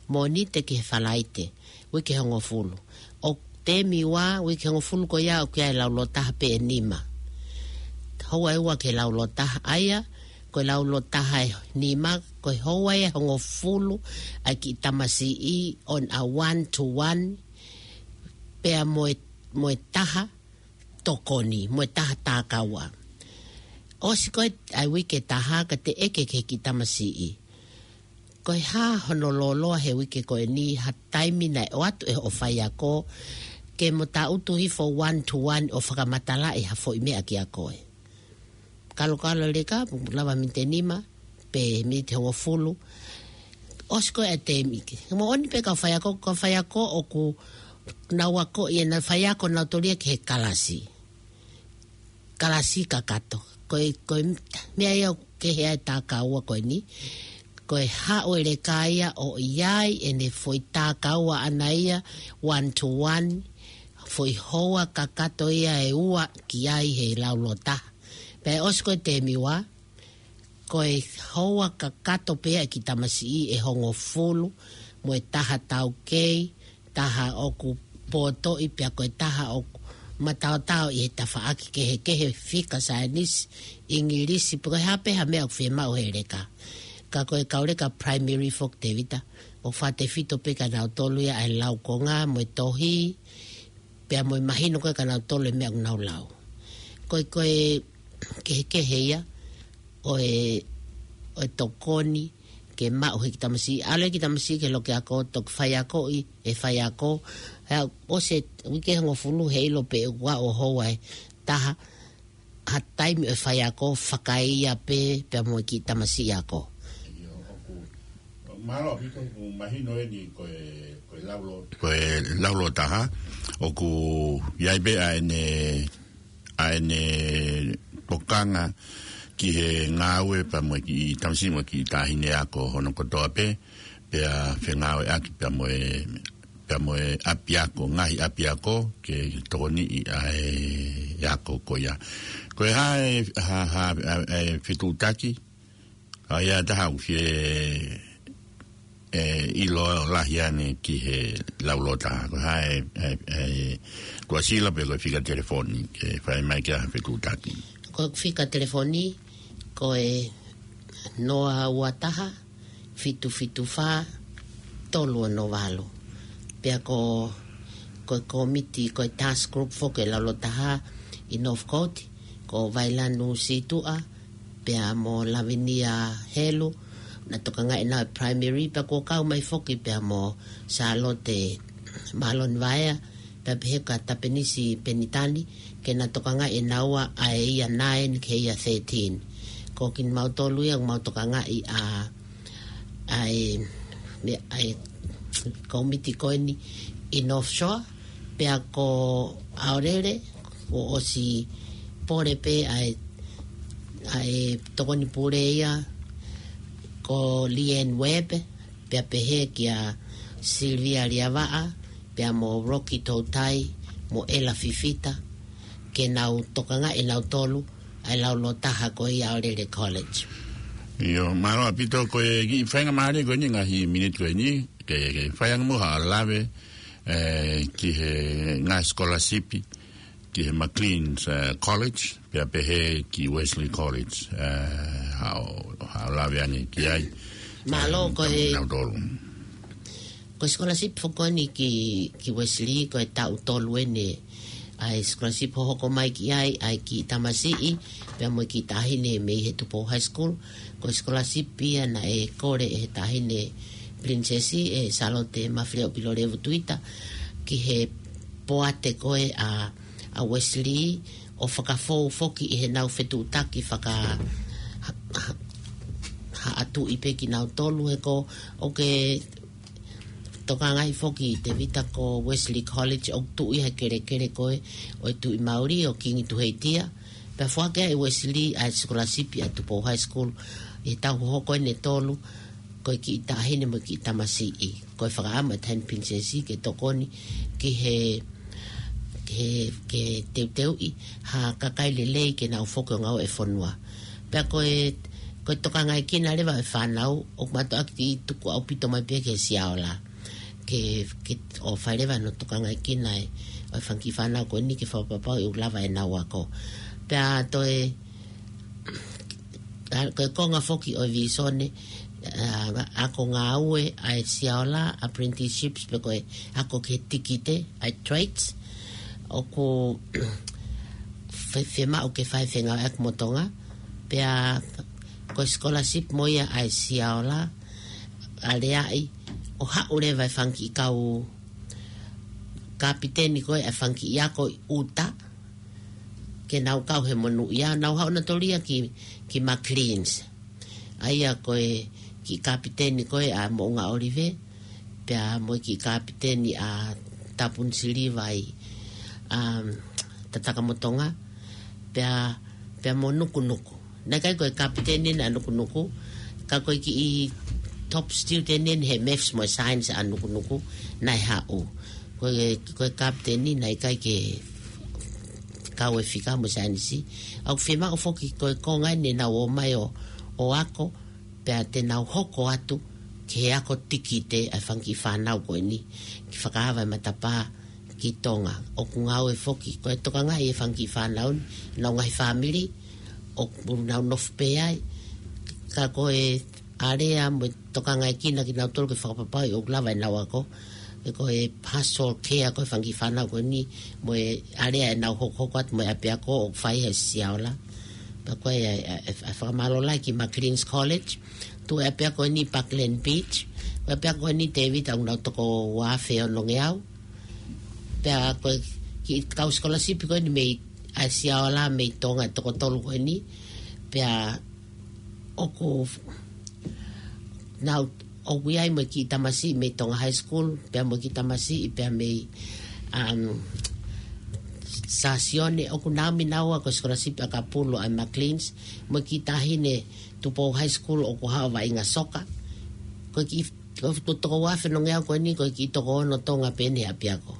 Mōnite ki he Falaite, uike hongofulu. ʻO teemi ua, uike hongofulu ko ia ʻoku ʻi ai e laulotaha pē ʻe nima. Houa ʻe ua ki he laulotaha ʻa ia, ko e laulotaha ʻe nima, ko e houa ʻe hongofulu ʻa e kiʻi tamasiʻi on a one to one, pea mo e, mo e taha tokoni, mo e taha tākaua. ʻOsi ko ē ʻa e uike ʻe taha ka te ʻeke ki he kiʻi tamasiʻi, ko e hā hono lōloa he uike ko eni, ha taimi naʻe ʻoatu ʻe hoʻo faiako ke mo tangutu hifo one to one ʻo fakamatalaʻi ha foʻi meʻa kiate koe. Kalokalo leka, lava miniti ʻe nima, pe miniti ʻe hongofulu. ʻOsi ko ē ʻa e teemi ke. Moʻoni pē kau faiako, kau faiako ʻoku nau akoʻi ʻenau faiako nautolu ia ki he kalasi. Kalasi kakato. Ko e, ko e meʻa ia ʻoku kehe ai e tākaua ko eni. Ko e haʻu e leka ia ʻo ʻi ai ʻene foʻi tākaua ʻana ia one to one, foʻi houa kakato ia ʻe ua ki ai he laulotaha. Pea ʻosi ko ē teemi ua, ko e houa kakato pē ʻa e kiʻi tamasiʻi ʻe hongofulu, mo e taha taukei, taha ʻoku potoʻi pea ko e taha ʻoku mataotao ʻi he tafaʻaki kehekehe, fika, saienisi, ʻIngilisi, pe ko e hā pē ha meʻa ʻoku fiemaʻu he leka. Ka ko e kau leka primary foki Tēvita, ʻoku fakatefito pē kia nautolu ia ʻa e laukonga mo e tohi, pea mo e mahino ko ē kia nautolu e meʻa ʻoku nau lau. Ko e, ko e kehekehe ia ʻo e, ʻo e tokoni ke maʻu he kiʻi tamasiʻi. ʻAlu e kiʻi tamasiʻi ki he loki ako, toki faiakoʻi ʻe he faiako. He ʻosi e uike hongofulu he ʻilo pē ʻoku ʻi ai e houa ʻe taha, ha taimi ʻo e faiako fakaeʻia pē pea mo e kiʻi tamasiʻi ako. ʻIo, ʻoku, mālō ʻaupito, ʻoku mahino eni ko e, ko e laulo-, ko e laulotaha, ʻoku ʻi ai pē ʻa ʻene, ʻa ʻene tokanga ki he ngāue pea mo e kiʻi tamasiʻi mo e kiʻi taʻahine ako hono kotoa pē, pea fengāueʻaki pea mo e, pea mo e ʻapiako, ngaahi ʻapiako ke tokoniʻi ʻa e ako ko ia. Ko e hā e, hā, hā, ʻa e fetuʻutaki, ʻa ia ʻe taha ʻoku fie, e, ʻilo lahi ange ki he laulotaha. Ko e hā e, e, e, ko e sila pe ko e fika telefoni, ke fai mai ki ai ha fetuʻutaki. Ko e fika telefoni, ko e noa ua taha, fitu fitu fā, tolu ono valu. Pea ko, ko e kōmiti, ko e task group foki e laulotaha ʻi Northcote, ko Vailanu Situʻa, pea mo Lavinia Helu, na tokangaʻi ʻenau primary, pea kuo kau mai foki pea mo Sālote Maloni Vaea, pea pehē kia Tapenisi Penitani, ke na tokangaʻi ʻenau ʻa e ia nine ki he ia thirteen. Ko kimautolu ia ʻoku mau tokangaʻi ʻa, ʻa e, meʻa, ʻa e kōmiti ko eni ʻi North Shore, pea ko ʻAolele, kuo ʻosi pole pē ʻa e, ʻa e tokoni pule ia, ko Leanne Webb, pea pehē kia Sylvia Liavaʻa, pea mo Rocky Toutai, mo Ella Fifita, ke nau tokangaʻi ʻe nautolu ʻa e laulotaha ko ia ʻAolele College. ʻIo, mālō ʻaupito, ko e kiʻi faingamālie ko eni, ngaahi miniti ko eni, ke, ke fai ange muʻa ha lave, e, ki he ngaahi scholarship, ki he McLean's, e, College, pea pehē ki Wesley College, e, haʻo, haʻo lave ange ki ai. Mālō, e, ko e, nautolu. Ko e scholarship foki ko eni ki, ki Wesley, ko e taʻu tolu eni ʻa e scholarship hohoko mai ki ai ʻa e kiʻi tamasiʻi, pea mo e kiʻi taʻahine mei he Tupou High School. Ko e scholarship ia naʻe kole ʻe he taʻahine Princess, ʻe Sālote Mafileʻo Pilolevu Tuita, ki he poate ko ē ʻa, ʻa Wesley, ʻo fakafou foki ʻi heʻenau fetuʻutaki faka-, ha-, ha-, ha-, ʻa Tuʻi pē kinautolu he ko ʻoku ke tokangaʻi foki Tevita ko Wesley College ʻoku tuʻu ia he kelekele ko ē ʻo e Tuʻi Maori ʻo Kingi Tuheitia. Pea foaki ʻe Wesley ʻa e scholarship ʻa Tupou High School ʻi he taʻu hohoko ʻe tolu, ko e kiʻi taʻahine mo e kiʻi tamasiʻi. Ko e fakaʻamu ʻa e Taʻahine Pilinisesi ke tokoni ki he, ke, ke teuteuʻi ha kakai lelei ke nau foki ʻo ngāue ʻi he fonua. Pea ko e, ko e tokangaʻekina leva ʻo e fānau, ʻoku mātuʻaki tuku ʻaupito mai pē ki he siaola. Ke, ke ʻo fai leva hono tokangaʻekina ʻo e fanga kiʻi fānau ko eni ke fakapapauʻi ʻoku lava ʻenau ako. Pea toe, ʻa, ko e konga foki ʻo e visone, ʻa, ako ngāue ʻa e siaola, apprenticeships, pe ko e ako ki he tikite, ʻa e trades, ʻoku fe-, fiemaʻu ke fai fengāueʻaki mo Tonga, pea ko e scholarship mo ia ʻa e siaola, aleaʻi, ʻo haʻu leva e fanga kiʻi kau kapiteni ko ē ʻa e fanga kiʻi ako ʻi ʻuta, ke nau kau he monūʻia, nau haʻu nautolu ia ki, ki Maclean's. ʻA ia ko e kiʻi kapiteni ko ē ʻa Moʻunga ʻOlive, pea mo e kiʻi kapiteni ʻa Tapunisiliva ʻi, um, Tatakamotonga, pea, pea mo Nukunuku. Naʻe ʻikai ko e kapiteni ʻa Nukunuku, ka ko e kiʻi top student ʻeni he maths mo e science ʻa Nukunuku, naʻe haʻu. Ko e, ko e kapiteni naʻe ʻikai ke kau e fika mo e saienisi. ʻOku fiemaʻu foki ko e konga ʻeni ʻenau ō mai ʻo, ʻo ako, pea te nau hoko atu ki he ako tikite ʻa e fanga kiʻi fānau ko eni, ke fakaava e matapā ki Tonga. ʻOku ngāue foki, ko e tokangaʻi e fanga kiʻi fānau ni, nau ngaahi fāmili, ʻoku nau nofo pē ai, ka ko e alea mo e tokangaʻekina kinautolu ke fakapapauʻi ʻoku lava ʻenau ako, ʻe ko e pastoral care ko e fanga kiʻi fānau ko eni, mo e alea ʻenau hokohoko atu mo e ʻapiako ʻoku fai he siaola. Pea ko e, e, e, e fakamālō lahi ki Maclean's College, tuʻu e ʻapiako ʻeni Parkland Beach, ko e ʻapiako ʻeni Tevita ʻoku nau toko ua afe onongeau. Pea ko e kiʻi kau scholarship ko eni mei ʻa e siaola mei Tonga ʻe toko tolu ko eni. Pea ʻoku nau, ʻoku ʻi ai mo e kiʻi tamasiʻi mei Tonga High School, pea mo e kiʻi tamasiʻi pea mei, um, Sasione, ʻoku nau ʻi ai naua ko e scholarship ʻa Kapulo ʻa Maclean's, mo e kiʻi taʻahine Tupou High School ʻoku haʻu ʻo vaʻinga soka. Ko e kiʻi, ko e toko ua afe onongeau ko eni, ko e kiʻi toko ono Tonga pē ʻeni he ʻapiako.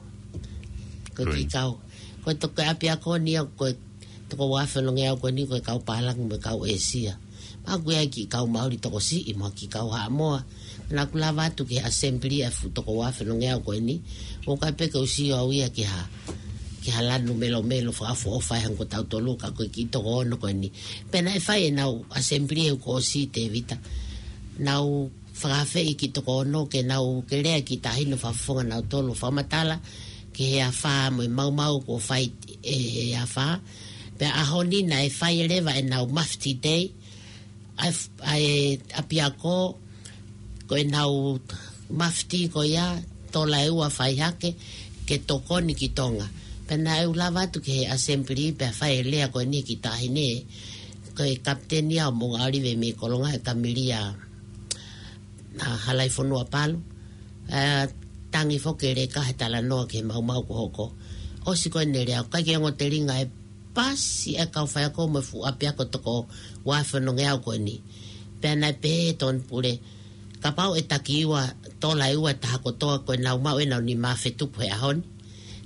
Ko e kiʻi kau, ko e toko ʻapiako ni ia, ko e toko ua afe onongeau ko eni ko e kau pālangi mo e kau ʻĒsia. Pea ʻoku ʻi ai kiʻi kau Maori tokosiʻi mo e kiʻi kau Haʻamoa. Naʻa ku lava atu ki he assembly ʻa e fuʻu toko ua afe onongeau ko eni. ʻOku ʻikai pē ke u sio au ia ki ha, ki ha lanu melomelo fakaʻofoʻofa ʻi he ongo taʻu tolu ka ko e kiʻi toko ono ko eni. Pea naʻe fai ʻenau assembly he kuo ʻosi Tevita. Nau fakaafeʻi kiʻi toko ono ke nau ke lea kiʻi taʻahine ʻo fakafofonga nautolu ʻo fakamatala ki he afā mo e maumau kuo fai ʻe he afā. Pea ʻaho ni naʻe fai leva ʻenau Mufti Day, ʻa e f-, ʻa e ʻapiako, ko ʻenau Mufti ko ia, tola ʻe ua fai hake, ke tokoni ki Tonga. Pea naʻa ku lava atu ki he assembly, pea fai e lea ko eni kiʻi taʻahine, ko e kapiteni ia ʻo Moʻunga ʻOlive mei Kolonga, ʻe Kamilia ʻa Halaifonua Palu. ʻE tangi foki e leka he talanoa ki he maumau kuo hoko. ʻOsi ko eni e lea, ʻoku ʻikai ke ongo telinga e pasi e kau faiako mo e fuʻu ʻapiako toko ua afe onongeau ko eni. Pea naʻe pehē ʻe Tony Pule, kapau ʻe taki ua, tola ʻe ua ʻe taha kotoa ko ʻenau maʻu ʻenau nima afe tupu he ʻaho ni.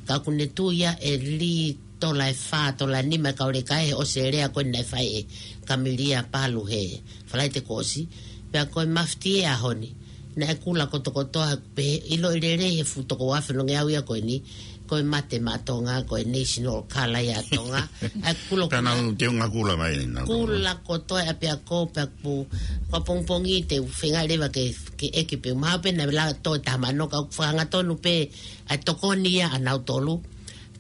Ka ʻoku ne tui ia ʻe lī tola ʻe fā, tola ʻe nima e kau leka he ʻosi e lea ko eni naʻe fai ʻe Kamilia Palu he Falaite kuo ʻosi. Pea ko e Mufti he ʻaho ni, naʻe kula kotokotoa, pehē ʻiloʻi lelei he fuʻu toko ua afe onongeau ia ko eni, ko e mate maʻa Tonga, ko e national colour ia ʻa Tonga. ʻA e kula, pea nau teunga kula mai, nau kula kotoa e ʻapiako, pea ʻoku, ʻoku pongipongi te u feinga leva ke, ke ʻeke pe u maha pe naʻe lava toe tamano ka ʻoku fakahangatonu pē ʻa e tokoni ia ʻa nautolu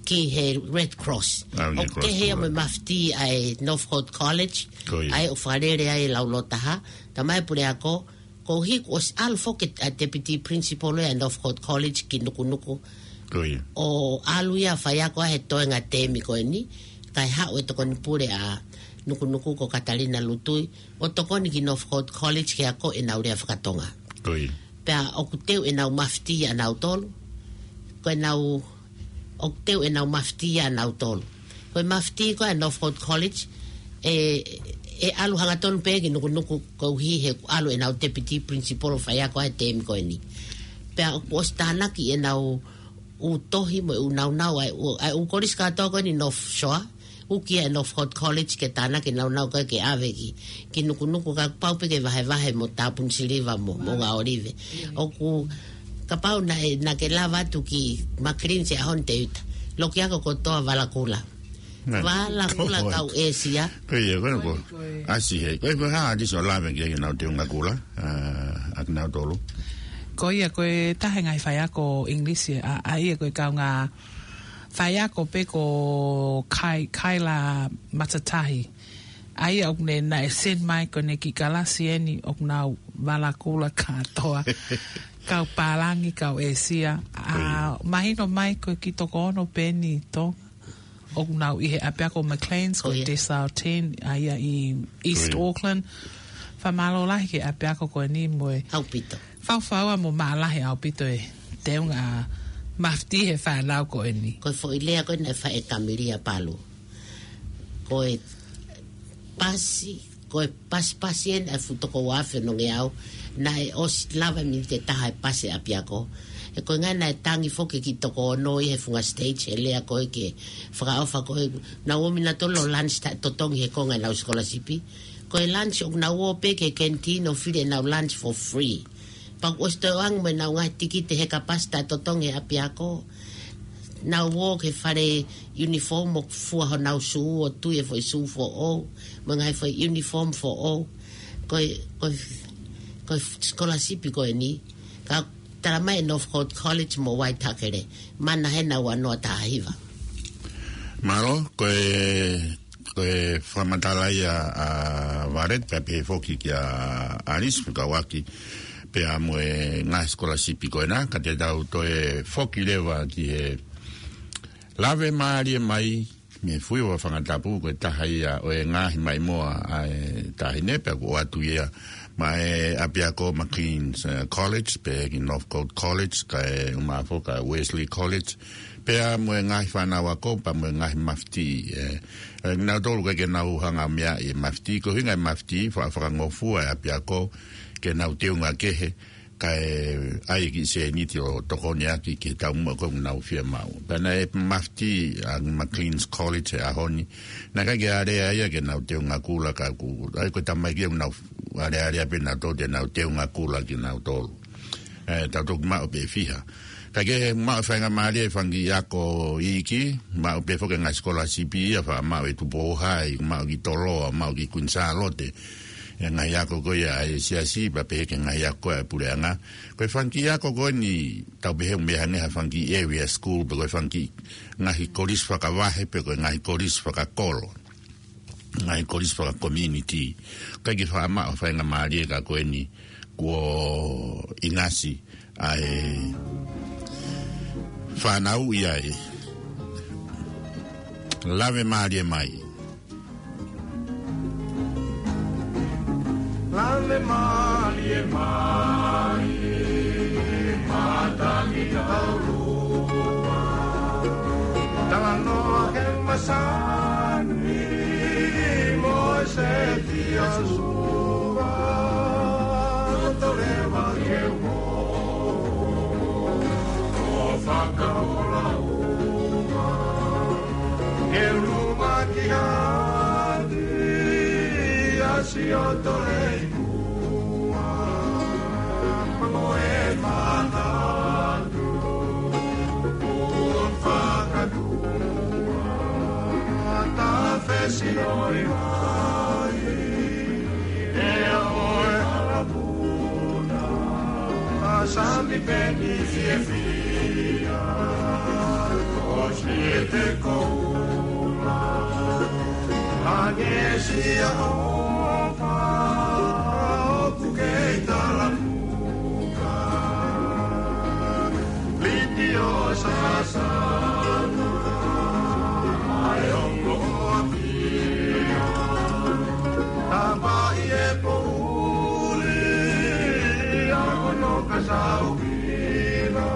ki he Red Cross. ʻA, Red Cross, ʻoku kehe ia mo e Mufti ʻa e Northcote College. Ko ia. ʻA ia ʻoku fakalele ai e laulōtaha. Talamai ʻe he puleako, koeʻuhi kuo ʻosi ʻalu foki ʻa e deputy principal ʻa e Northcote College ki Nukunuku. Ko ia. ʻO ʻalu ia ʻo faiako he toenga temi ko eni, kae haʻu e tokoni pule ʻa nukunuku ko Katalina Lutui, ʻo tokoni ki Northcote College ke ako ʻenau lea fakatonga. Ko ia. Pea ʻoku teu ʻenau mafiti ʻanautolu, ko ʻenau, ʻoku teu ʻenau mafiti ʻanautolu. Ko e mafiti ko ē ʻa Northcote College, ʻe, ʻe ʻalu hangatonu pē ki nukunuku koeʻuhi he ʻalu ʻenau deputy principal ʻo faiako he teemi ko eni. Pea ʻoku ʻosi tānaki ʻenau ʻū tohi mo e ʻū naunau ʻa e ʻū, ʻa e ʻū kolisi kātoa ko eni North Shore, ʻuki ʻa e Northcote College ke tānaki e naunau ko ē ke ʻave ki, ki nukunuku ka pau pē ke vahevahe mo Tāpuni Siliva mo, mo Ngā ʻOlive. ʻOku kapau naʻe, naʻa ke lava atu ki McLean's he ʻaho ni Teuta. Loki ako kotoa vala kula. Nā. Vala kula kau ʻĒsia. Ko ia, ko ia, ko ia. ʻAsi he. Ko ia, ko e hā, ʻa e ʻū lave ki ai ʻenau teunga kula, ā, ʻa kinautolu. Ko ia, ko e taha e ngaahi faiako English, ʻa, ʻa ia ko e kaungā faiako pē ko Kai-, Kaila Matatahi. ʻA ia ʻoku ne naʻe send mai ko ʻene kiʻi kalasi eni ʻoku nau vala kula kātoa. Kau pālangi, kau ʻĒsia. Ā, mahino mai ko e kiʻi toko ono pē eni Tonga ʻoku nau ʻi he ʻapiako McLean's ko e Desautini, ʻa ia ʻi East Auckland. Fakamālō lahi ki he ʻapiako ko eni mo e ʻaupito. Faufaua mo maʻalahi ʻaupito e teunga mafiti he fānau ko eni. Ko e foʻi lea ko ē naʻe fai ʻe Kamilia Palu. Ko e pasi, ko e pasipasi eni ʻa e fuʻu toko ua afe nongeau, naʻe ʻosi lava miniti ʻe taha e pasi ʻapiako. He ko e ʻuhinga naʻe tangi foki ki toko ono ʻi he funga stage, he lea ko ē ke fakaʻofa ko ē, nau ō mai nautolu ʻo lunch taʻetotongi he konga ʻenau scholarship. Ko e lunch ʻoku nau ō pē ki he canteen ʻo fili ʻenau lunch for free. Pea ʻoku ʻosi toe ʻoange mo ʻenau ngaahi tikite he kapasi taʻetotongi he ʻapiako. Nau ō ki he fale uniform ʻo fua honau sū ʻo tui e foʻi sū foʻou, mo e ngaahi foʻi uniform foʻou. Ko e, ko e, ko e scholarship ko eni. Ka tala mai ʻe Northcote College mo Waitakere, mana he nau ua noa taha hiva. Mālō, ko e, ko e fakamatala ia ʻa Varet, pea pehē foki kia Alice Fekauʻaki, pea mo e ngaahi scholarship ko ena, ka te tau toe foki leva ki he lave mālie mai, mei he Fuiva Fangatapu, ko e taha ia ʻo e ngaahi maʻimoa ʻa e taʻahine, pea ʻoku ʻoatu ia maʻa e ʻapiako McLean's, eh, College, pea ki Northcote College, kae ʻumaʻā foki ʻa Wesley College, pea mo e ngaahi fānau ako, pea mo e ngaahi mafiti, eh, eh, nautolu ʻoku ʻikai ke nau hanga meaʻi e mafiti, ko e ʻuhinga e mafiti, fa-, fakangofua e ʻapiako, ke nau teunga kehe, kae ʻai e kiʻi sēniti ʻo tokoni ʻaki ki he taumuʻa ko ē ʻoku nau fiemaʻu. Pea naʻe mafiti ʻa McLean's College he ʻaho ni. Naʻe ʻikai ke alea ia ke nau teunga kula ka ʻoku, ʻa ia ko e tamaiki ʻoku nau alealea pē nautolu te nau teunga kula kinautolu. Ē, tau toki maʻu pē fiha. Ka ke maʻu faingamālie e fanga kiʻi ako iiki, maʻu pē foki e ngaahi scholarship ia, faʻa maʻu ʻi Tupou High, maʻu ki Toloa, maʻu ki Kuini Sālote. E ngaahi ako ko ia ʻa e siasi, pea pehē ki he ngaahi ako ʻa e puleʻanga. Ko e fanga kiʻi ako ko eni, tau pehē ʻoku meʻa hangē ha fanga kiʻi area school, pe ko e fanga kiʻi ngaahi kolisi fakavahe, pe ko e ngaahi kolisi fakakolo. Ngaahi kolisi faka-community. ʻIkai ke faʻa maʻu faingamālie ka ko eni, kuo ʻinasi ʻa e fānau ia ē. Lave mālie mai. Lave mālie mai, matangi taulua. Talanoa he masani, mo e seti ʻa Sua. Toleva ke mo, ʻo fakaola uma. Ke luma ki hati, ʻa Siotolei kua. Mo e manatu, ʻo fakatua. Ta fesi oi mai. E o e alapuna, a sami peni fiefia, o si e te koula, a ngesia o pa, o ku kei talamuka. Liti o sasana, ai o loa pia, Ono ka sauina,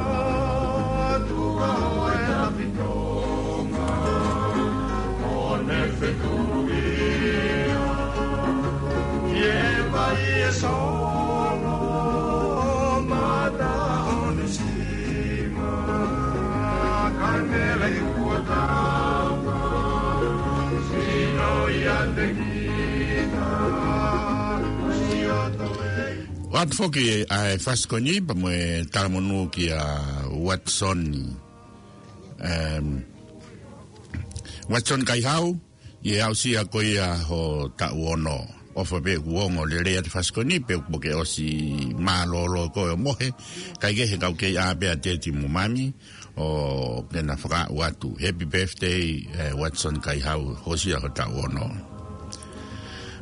tua o e tapitonga, o ne fetuia, ie vai e sono, mata o ne sima, ka mele i kuatapa, sino ia te kita, sio to e. ʻOatu foki ʻa e fasi ko eni pea mo e talamonū kia Watson. Em, Watson Kaihau, ʻi he aʻusia ko ia ho taʻu ono. ʻOfa pē kuo ongo lelei ʻa e fasi ko eni pea kuo ke ʻosi mālōlō ko e mohe. Kae kehe kau kei ʻā pē ʻa teti mo mami ʻo ke na fakaaʻu atu. Happy birthday, eh, Watson Kaihau, hōsia ho taʻu ono.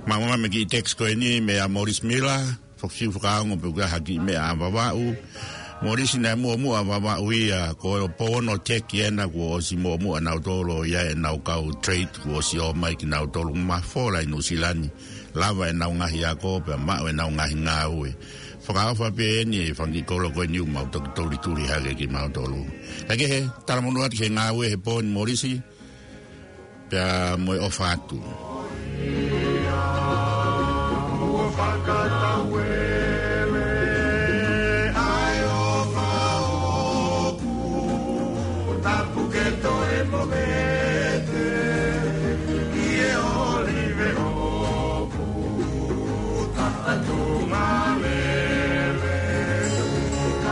Māmā me kiʻi text ko eni meia Morris Miller, fakafiu fakaongo pe ʻoku ʻi ai ha kiʻi meʻa ʻa Vavaʻu. Morris naʻe muʻomuʻa ʻa Vavaʻu ia, ko e pō ono teki ena kuo ʻosi muʻomuʻa nautolu ia ʻenau kau trade kuo ʻosi ō mai kinautolu mafola ʻi Nuʻusila ni. Lava ʻenau ngaahi ako, pea maʻu ʻenau ngaahi ngāue. Fakaʻofa pē eni e fanga kiʻi kolo ko eni ʻoku mau toki tulituli hake kimautolu. Kae kehe, talamonū atu ki he ngāue he pō ni Morris, pea mo e ʻofa atu.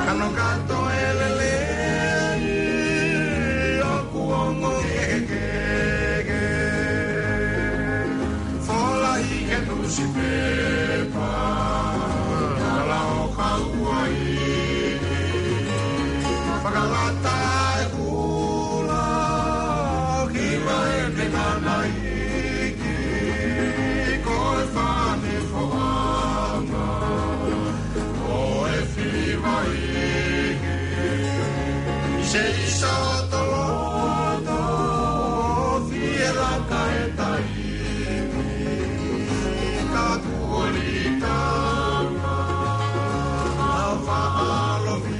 Kano kato e lelei, ʻoku ongo kehekehe. Fola ʻi he nusipepa, tala ʻo Kauaʻi, fakalata e kula, ki mai te nanai. Ko e fane foʻanga, ko e fivaʻi. ʻI se ʻisa toloto, fie laka e taimi. Ka kuo lī tama, ʻa faʻa lovi.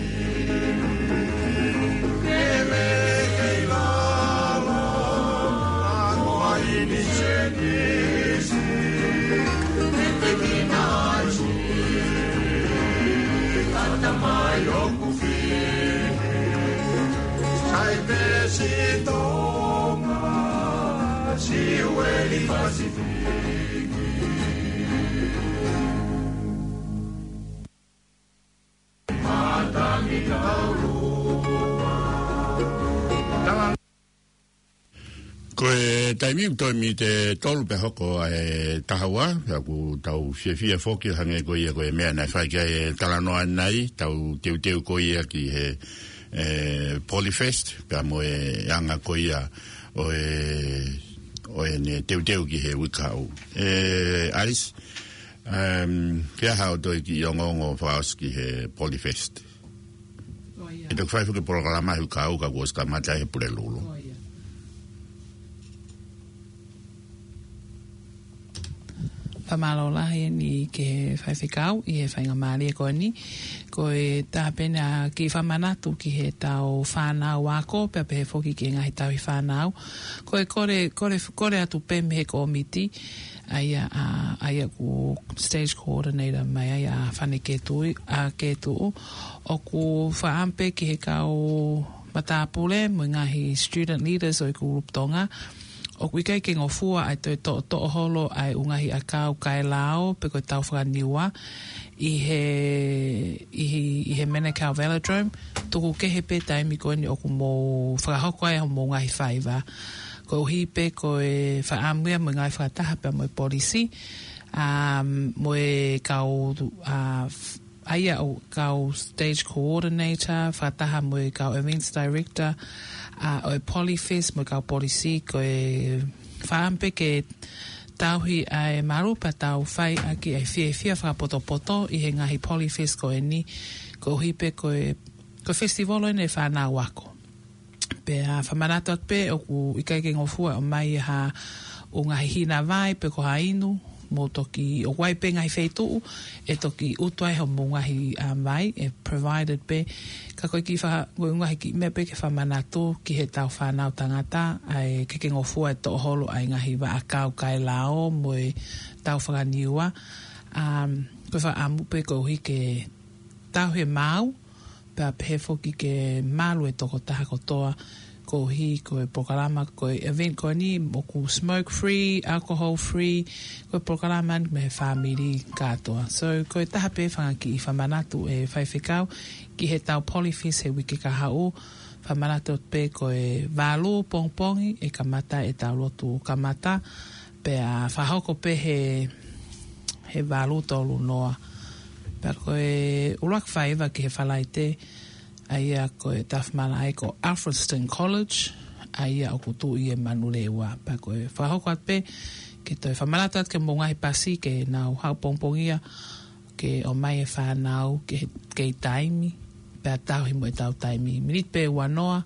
Ko e taimi ʻoku toe miniti ʻe tolu pea hoko ʻa e taha ua, pea ʻoku tau fiefia foki hangē ko ia ko e meʻa naʻe fai ki ai e talanoa ʻanenai, tau teuteu ko ia ki he, e, Polyfest, pea mo e anga ko ia ʻo e, ʻo ʻene teuteu ki he uike kahaʻu. E, Alice, em, ke aha ʻoku toe kiʻi ongoongo fakaʻosi ki he Polyfest? ʻE toki fai foki polokalama he uike kahaʻu ka kuo ʻosi kamata he Pulelulu. Fakamālō lahi eni ki he faifekau ʻi he faingamālie ko eni. Ko e taha pē eni ʻa e kiʻi fakamanatu ki heʻetau fānau ako, pea pehē foki ki he ngaahi tauhi fānau. Ko e kole, kole, kole atu pē mei he kōmiti, ʻa ia, ʻa, ʻa ia ʻoku stage coordinator mai ai ʻa Fane Ketuʻu, ʻa Ketuʻu, ʻoku fakaʻamu pē ki he kau matāpule mo e ngaahi student leaders ʻo e kulupu Tonga, ʻoku ʻikai ke ngofua ʻa e toe toʻotoʻo holo ʻa e ʻū ngaahi ʻakau kae lao pe ko e tau fakaniua ʻi he, ʻi he, ʻi he Manukau Velodrome, tuku kehe pē taimi ko eni ʻoku mou fakahoko ai hoʻomou ngaahi faiva. Koeʻuhi pē ko e fakaʻamu ia mo e ngāue fakataha pea mo e polisi, ʻa, mo e kau, ʻa, ʻa ia ʻoku kau stage coordinator, fakataha mo e kau events director, ʻa, ʻo e Polyfest mo e kau polisi, ko e fakaʻamu pē ke tauhi ʻa e malu pea tau fai ʻaki ʻa e fiefia fakapotopoto ʻi he ngaahi Polyfest ko eni, koeʻuhi pē ko e, ko e festival eni e fānau ako. Pea fakamanatu atu pē ʻoku ʻikai ke ngofua ʻo mai ha ʻū ngaahi hina vai pe ko ha inu, mo toki ʻoku ʻi ai pē ngaahi feituʻu ʻe toki ʻutu ai hoʻomou ngaahi, um, vai, ʻe provided pē. Ka ko e kiʻi fa-, ko e ngaahi kiʻi meʻa pē ke fakamanatu ki heʻetau fānau tangata, ʻa e ke ke ngofua ʻe toʻoholo ʻa e ngaahi vaʻakau kae lao mo ʻetau fakaniua. Um, ko e fakaʻamu pē koeʻuhi ke tauhi e maau, pea pehē foki ke malu e tokotaha kotoa, koeʻuhi ko e polokalama, ko e event ko eni ʻoku smoke free, alcohol free, ko e polokalama ni mei he fāmili kātoa. So, ko e taha pē fanga kiʻi fakamanatu ʻe faifekau ki heʻetau Polyfest he uike kahaʻu, fakamanatu pē ko e valu pongipongi ʻe kamata ʻetau lotu kamata, pea fakahoko pē he, he valu tolu noa. Pea ko e ʻuluaki faiva ki he Falaite, ʻa ia ko e tafa malaʻe ko Alfriston College, ʻa ia ʻoku tuʻu ʻi Manurewa. Pea ko e fakahoko atu pē, ke toe fakamanatu atu ki hoʻomou ngaahi pasi ke nau haʻu pongipongia, ke ʻomai e fānau ki he kei taimi, pea tauhi mo ʻetau taimi. Miniti pē ua noa,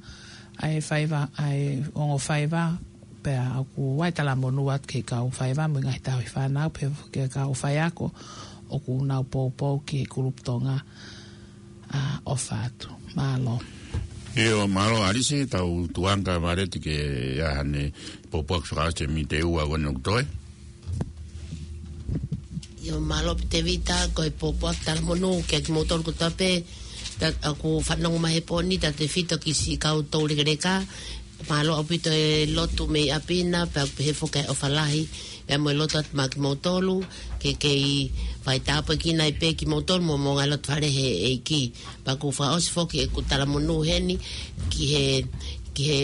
ʻa e faiva, ʻa e ongo faiva, pea ʻoku ʻi ai e talamonū atu ki he kau faiva mo e ngaahi tauhi fānau, pea ki he kau faiako ʻoku nau poupou ki he kulupu Tonga, ʻa, ʻofa atu. Mālō. ʻIo, mālō ʻAlisi, tau tuanga Valeti ke ʻi ai haʻane pōpoaki fakaʻosi he miniti ʻe ua ʻoku toe. ʻIo, mālō Tēvita, ko e pōpoaki talamonū kiate kimoutolu kotoa pē, ʻa ia ʻoku fanongo mai he pō ni, tautefito ki siʻi kau toulekeleka, mālō ʻaupito e lotu mei ʻapi na, pea pehē foki e ʻofa lahi, pea mo e lotu atu maʻa kimoutolu, ke kei faitāpuekina ai pē kimoutolu mo, mo e ngaahi lotofale he ʻEiki. Pea ʻoku fakaʻosi foki ʻeku talamonū heni, ki he, ki he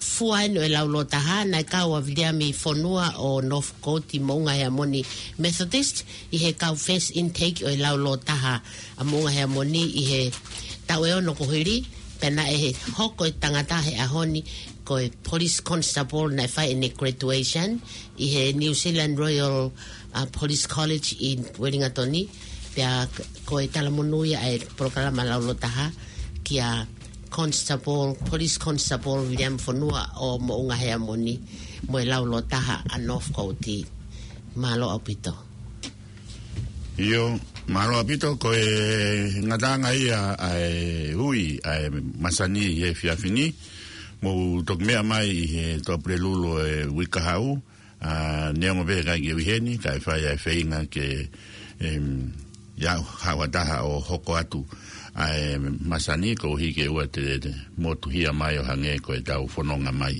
fua eni ʻo e laulōtaha, naʻe kau ʻa Viliami Fonua ʻo Northcote Moʻunga Heamoni Methodist, ʻi he kau first intake ʻo e laulōtaha ʻa Moʻunga Heamoni ʻi he taʻu ʻe ono kuo hili, pea naʻe hoko e tangata he ʻaho ni ko e Police Constable naʻe fai ʻene graduation ʻi he New Zealand Royal, uh, Police College ʻi Wellington. Pea ko e talamonū ia ʻa e polokalama laulōtaha kia Constable, Police Constable Viliami Fonua ʻo Moʻunga Heamoni mo e laulōtaha ʻa Northcote. Mālō ʻaupito. ʻIo, mālō ʻaupito, ko e ngataʻanga ia ʻa e ui ʻa e masani he efiafi ni, mou toki meʻa mai ʻi he Tuʻapulelulu ʻo e uike kahaʻu, ʻa, neongo pē ʻikai ke u ʻi heni, kae fai ʻa e feinga ke, em, ʻi ai haʻo taha ʻo hoko atu ʻa e masani koeʻuhi ke ʻoua te, te motuhia mai ʻo hangē ko ʻetau fononga mai.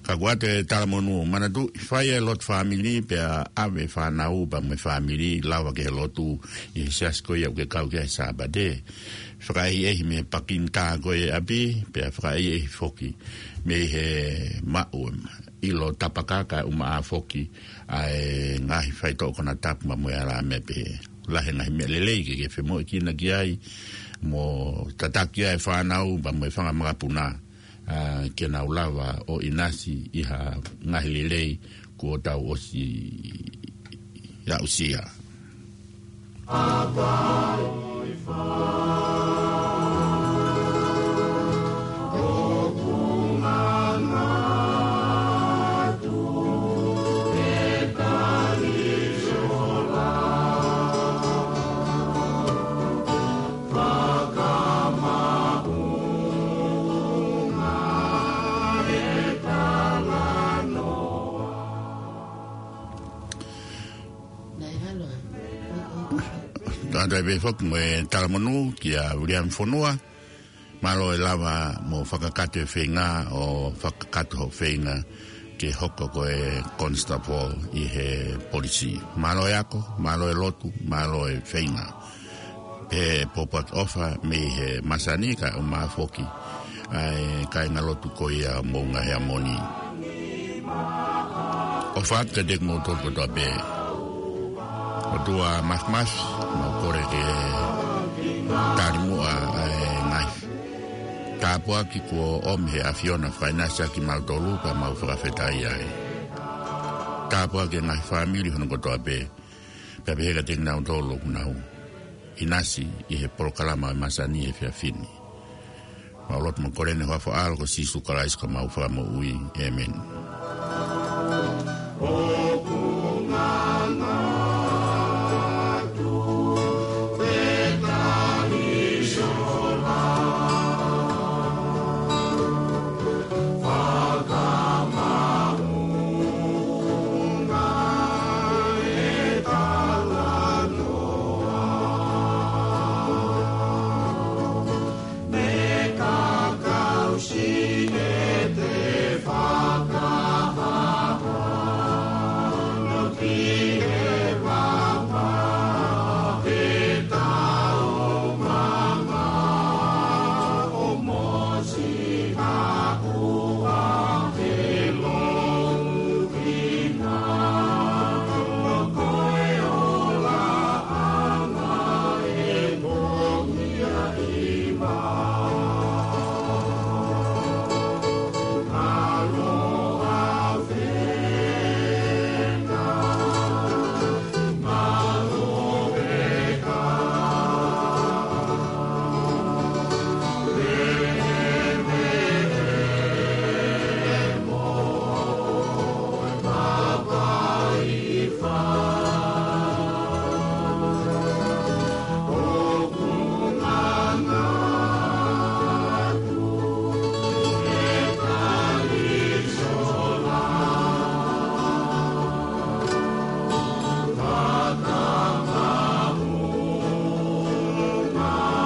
Ka ko ʻeku talamonū, manatuʻi fai e lotu fāmili pea ʻave fānau pea mo e fāmili lava ke he lotu ʻi he siasi ko ia ʻoku ke kau ki ai he Sāpate. Fakaʻehiʻehi mei he pakinitā ko ia ʻi ʻapi, pea fakaʻehiʻehi foki mei he maʻu ʻilo tapaka kae ʻumaʻā foki ʻa e ngaahi faitoʻo konatapu pea mo e alā meʻa pehē. Lahi e ngaahi meʻa lelei ke ke femoʻuekina ki ai, mo tataki ai e fānau pea mo e fanga makapuna, ʻa, ke nau lava ʻo ʻinasi ʻi ha ngaahi lelei kuo tau ʻosi aʻusia. Tau toe pehē foki mo e talamonū kia Viliami Fonua, mālō e lava mo fakakakato e feinga ʻo fakakakato hoʻo feinga ke hoko ko e constable ʻi he polisi. Mālō e ako, mālō e lotu, mālō e feinga. Pea pōpoaki ʻofa mei he masani kae ʻumaʻā foki ʻa e kāingalotu ko ia Moʻunga Heamoni. ʻOfa atu kiate kimoutolu kotoa pē. ʻOtua Māfimafi, mau kole ke tali muʻa ʻa e ngaahi tāpuaki kuo ʻomi he ʻAfiona fakaʻinasi ʻaki kimautolu pea mau fakafetaʻi ai. Tāpuaki e ngaahi fāmili hono kotoa pē. Pea pehē kiate kinautolu ʻoku nau ʻinasi ʻi he polokalama ʻo e masani he efiafi ni. Mau lotu mo kole ʻi he huafa ʻo ho ʻAlo ko Sīsū Kalaisi ko homau Fakamoʻui. ʻĒmeni.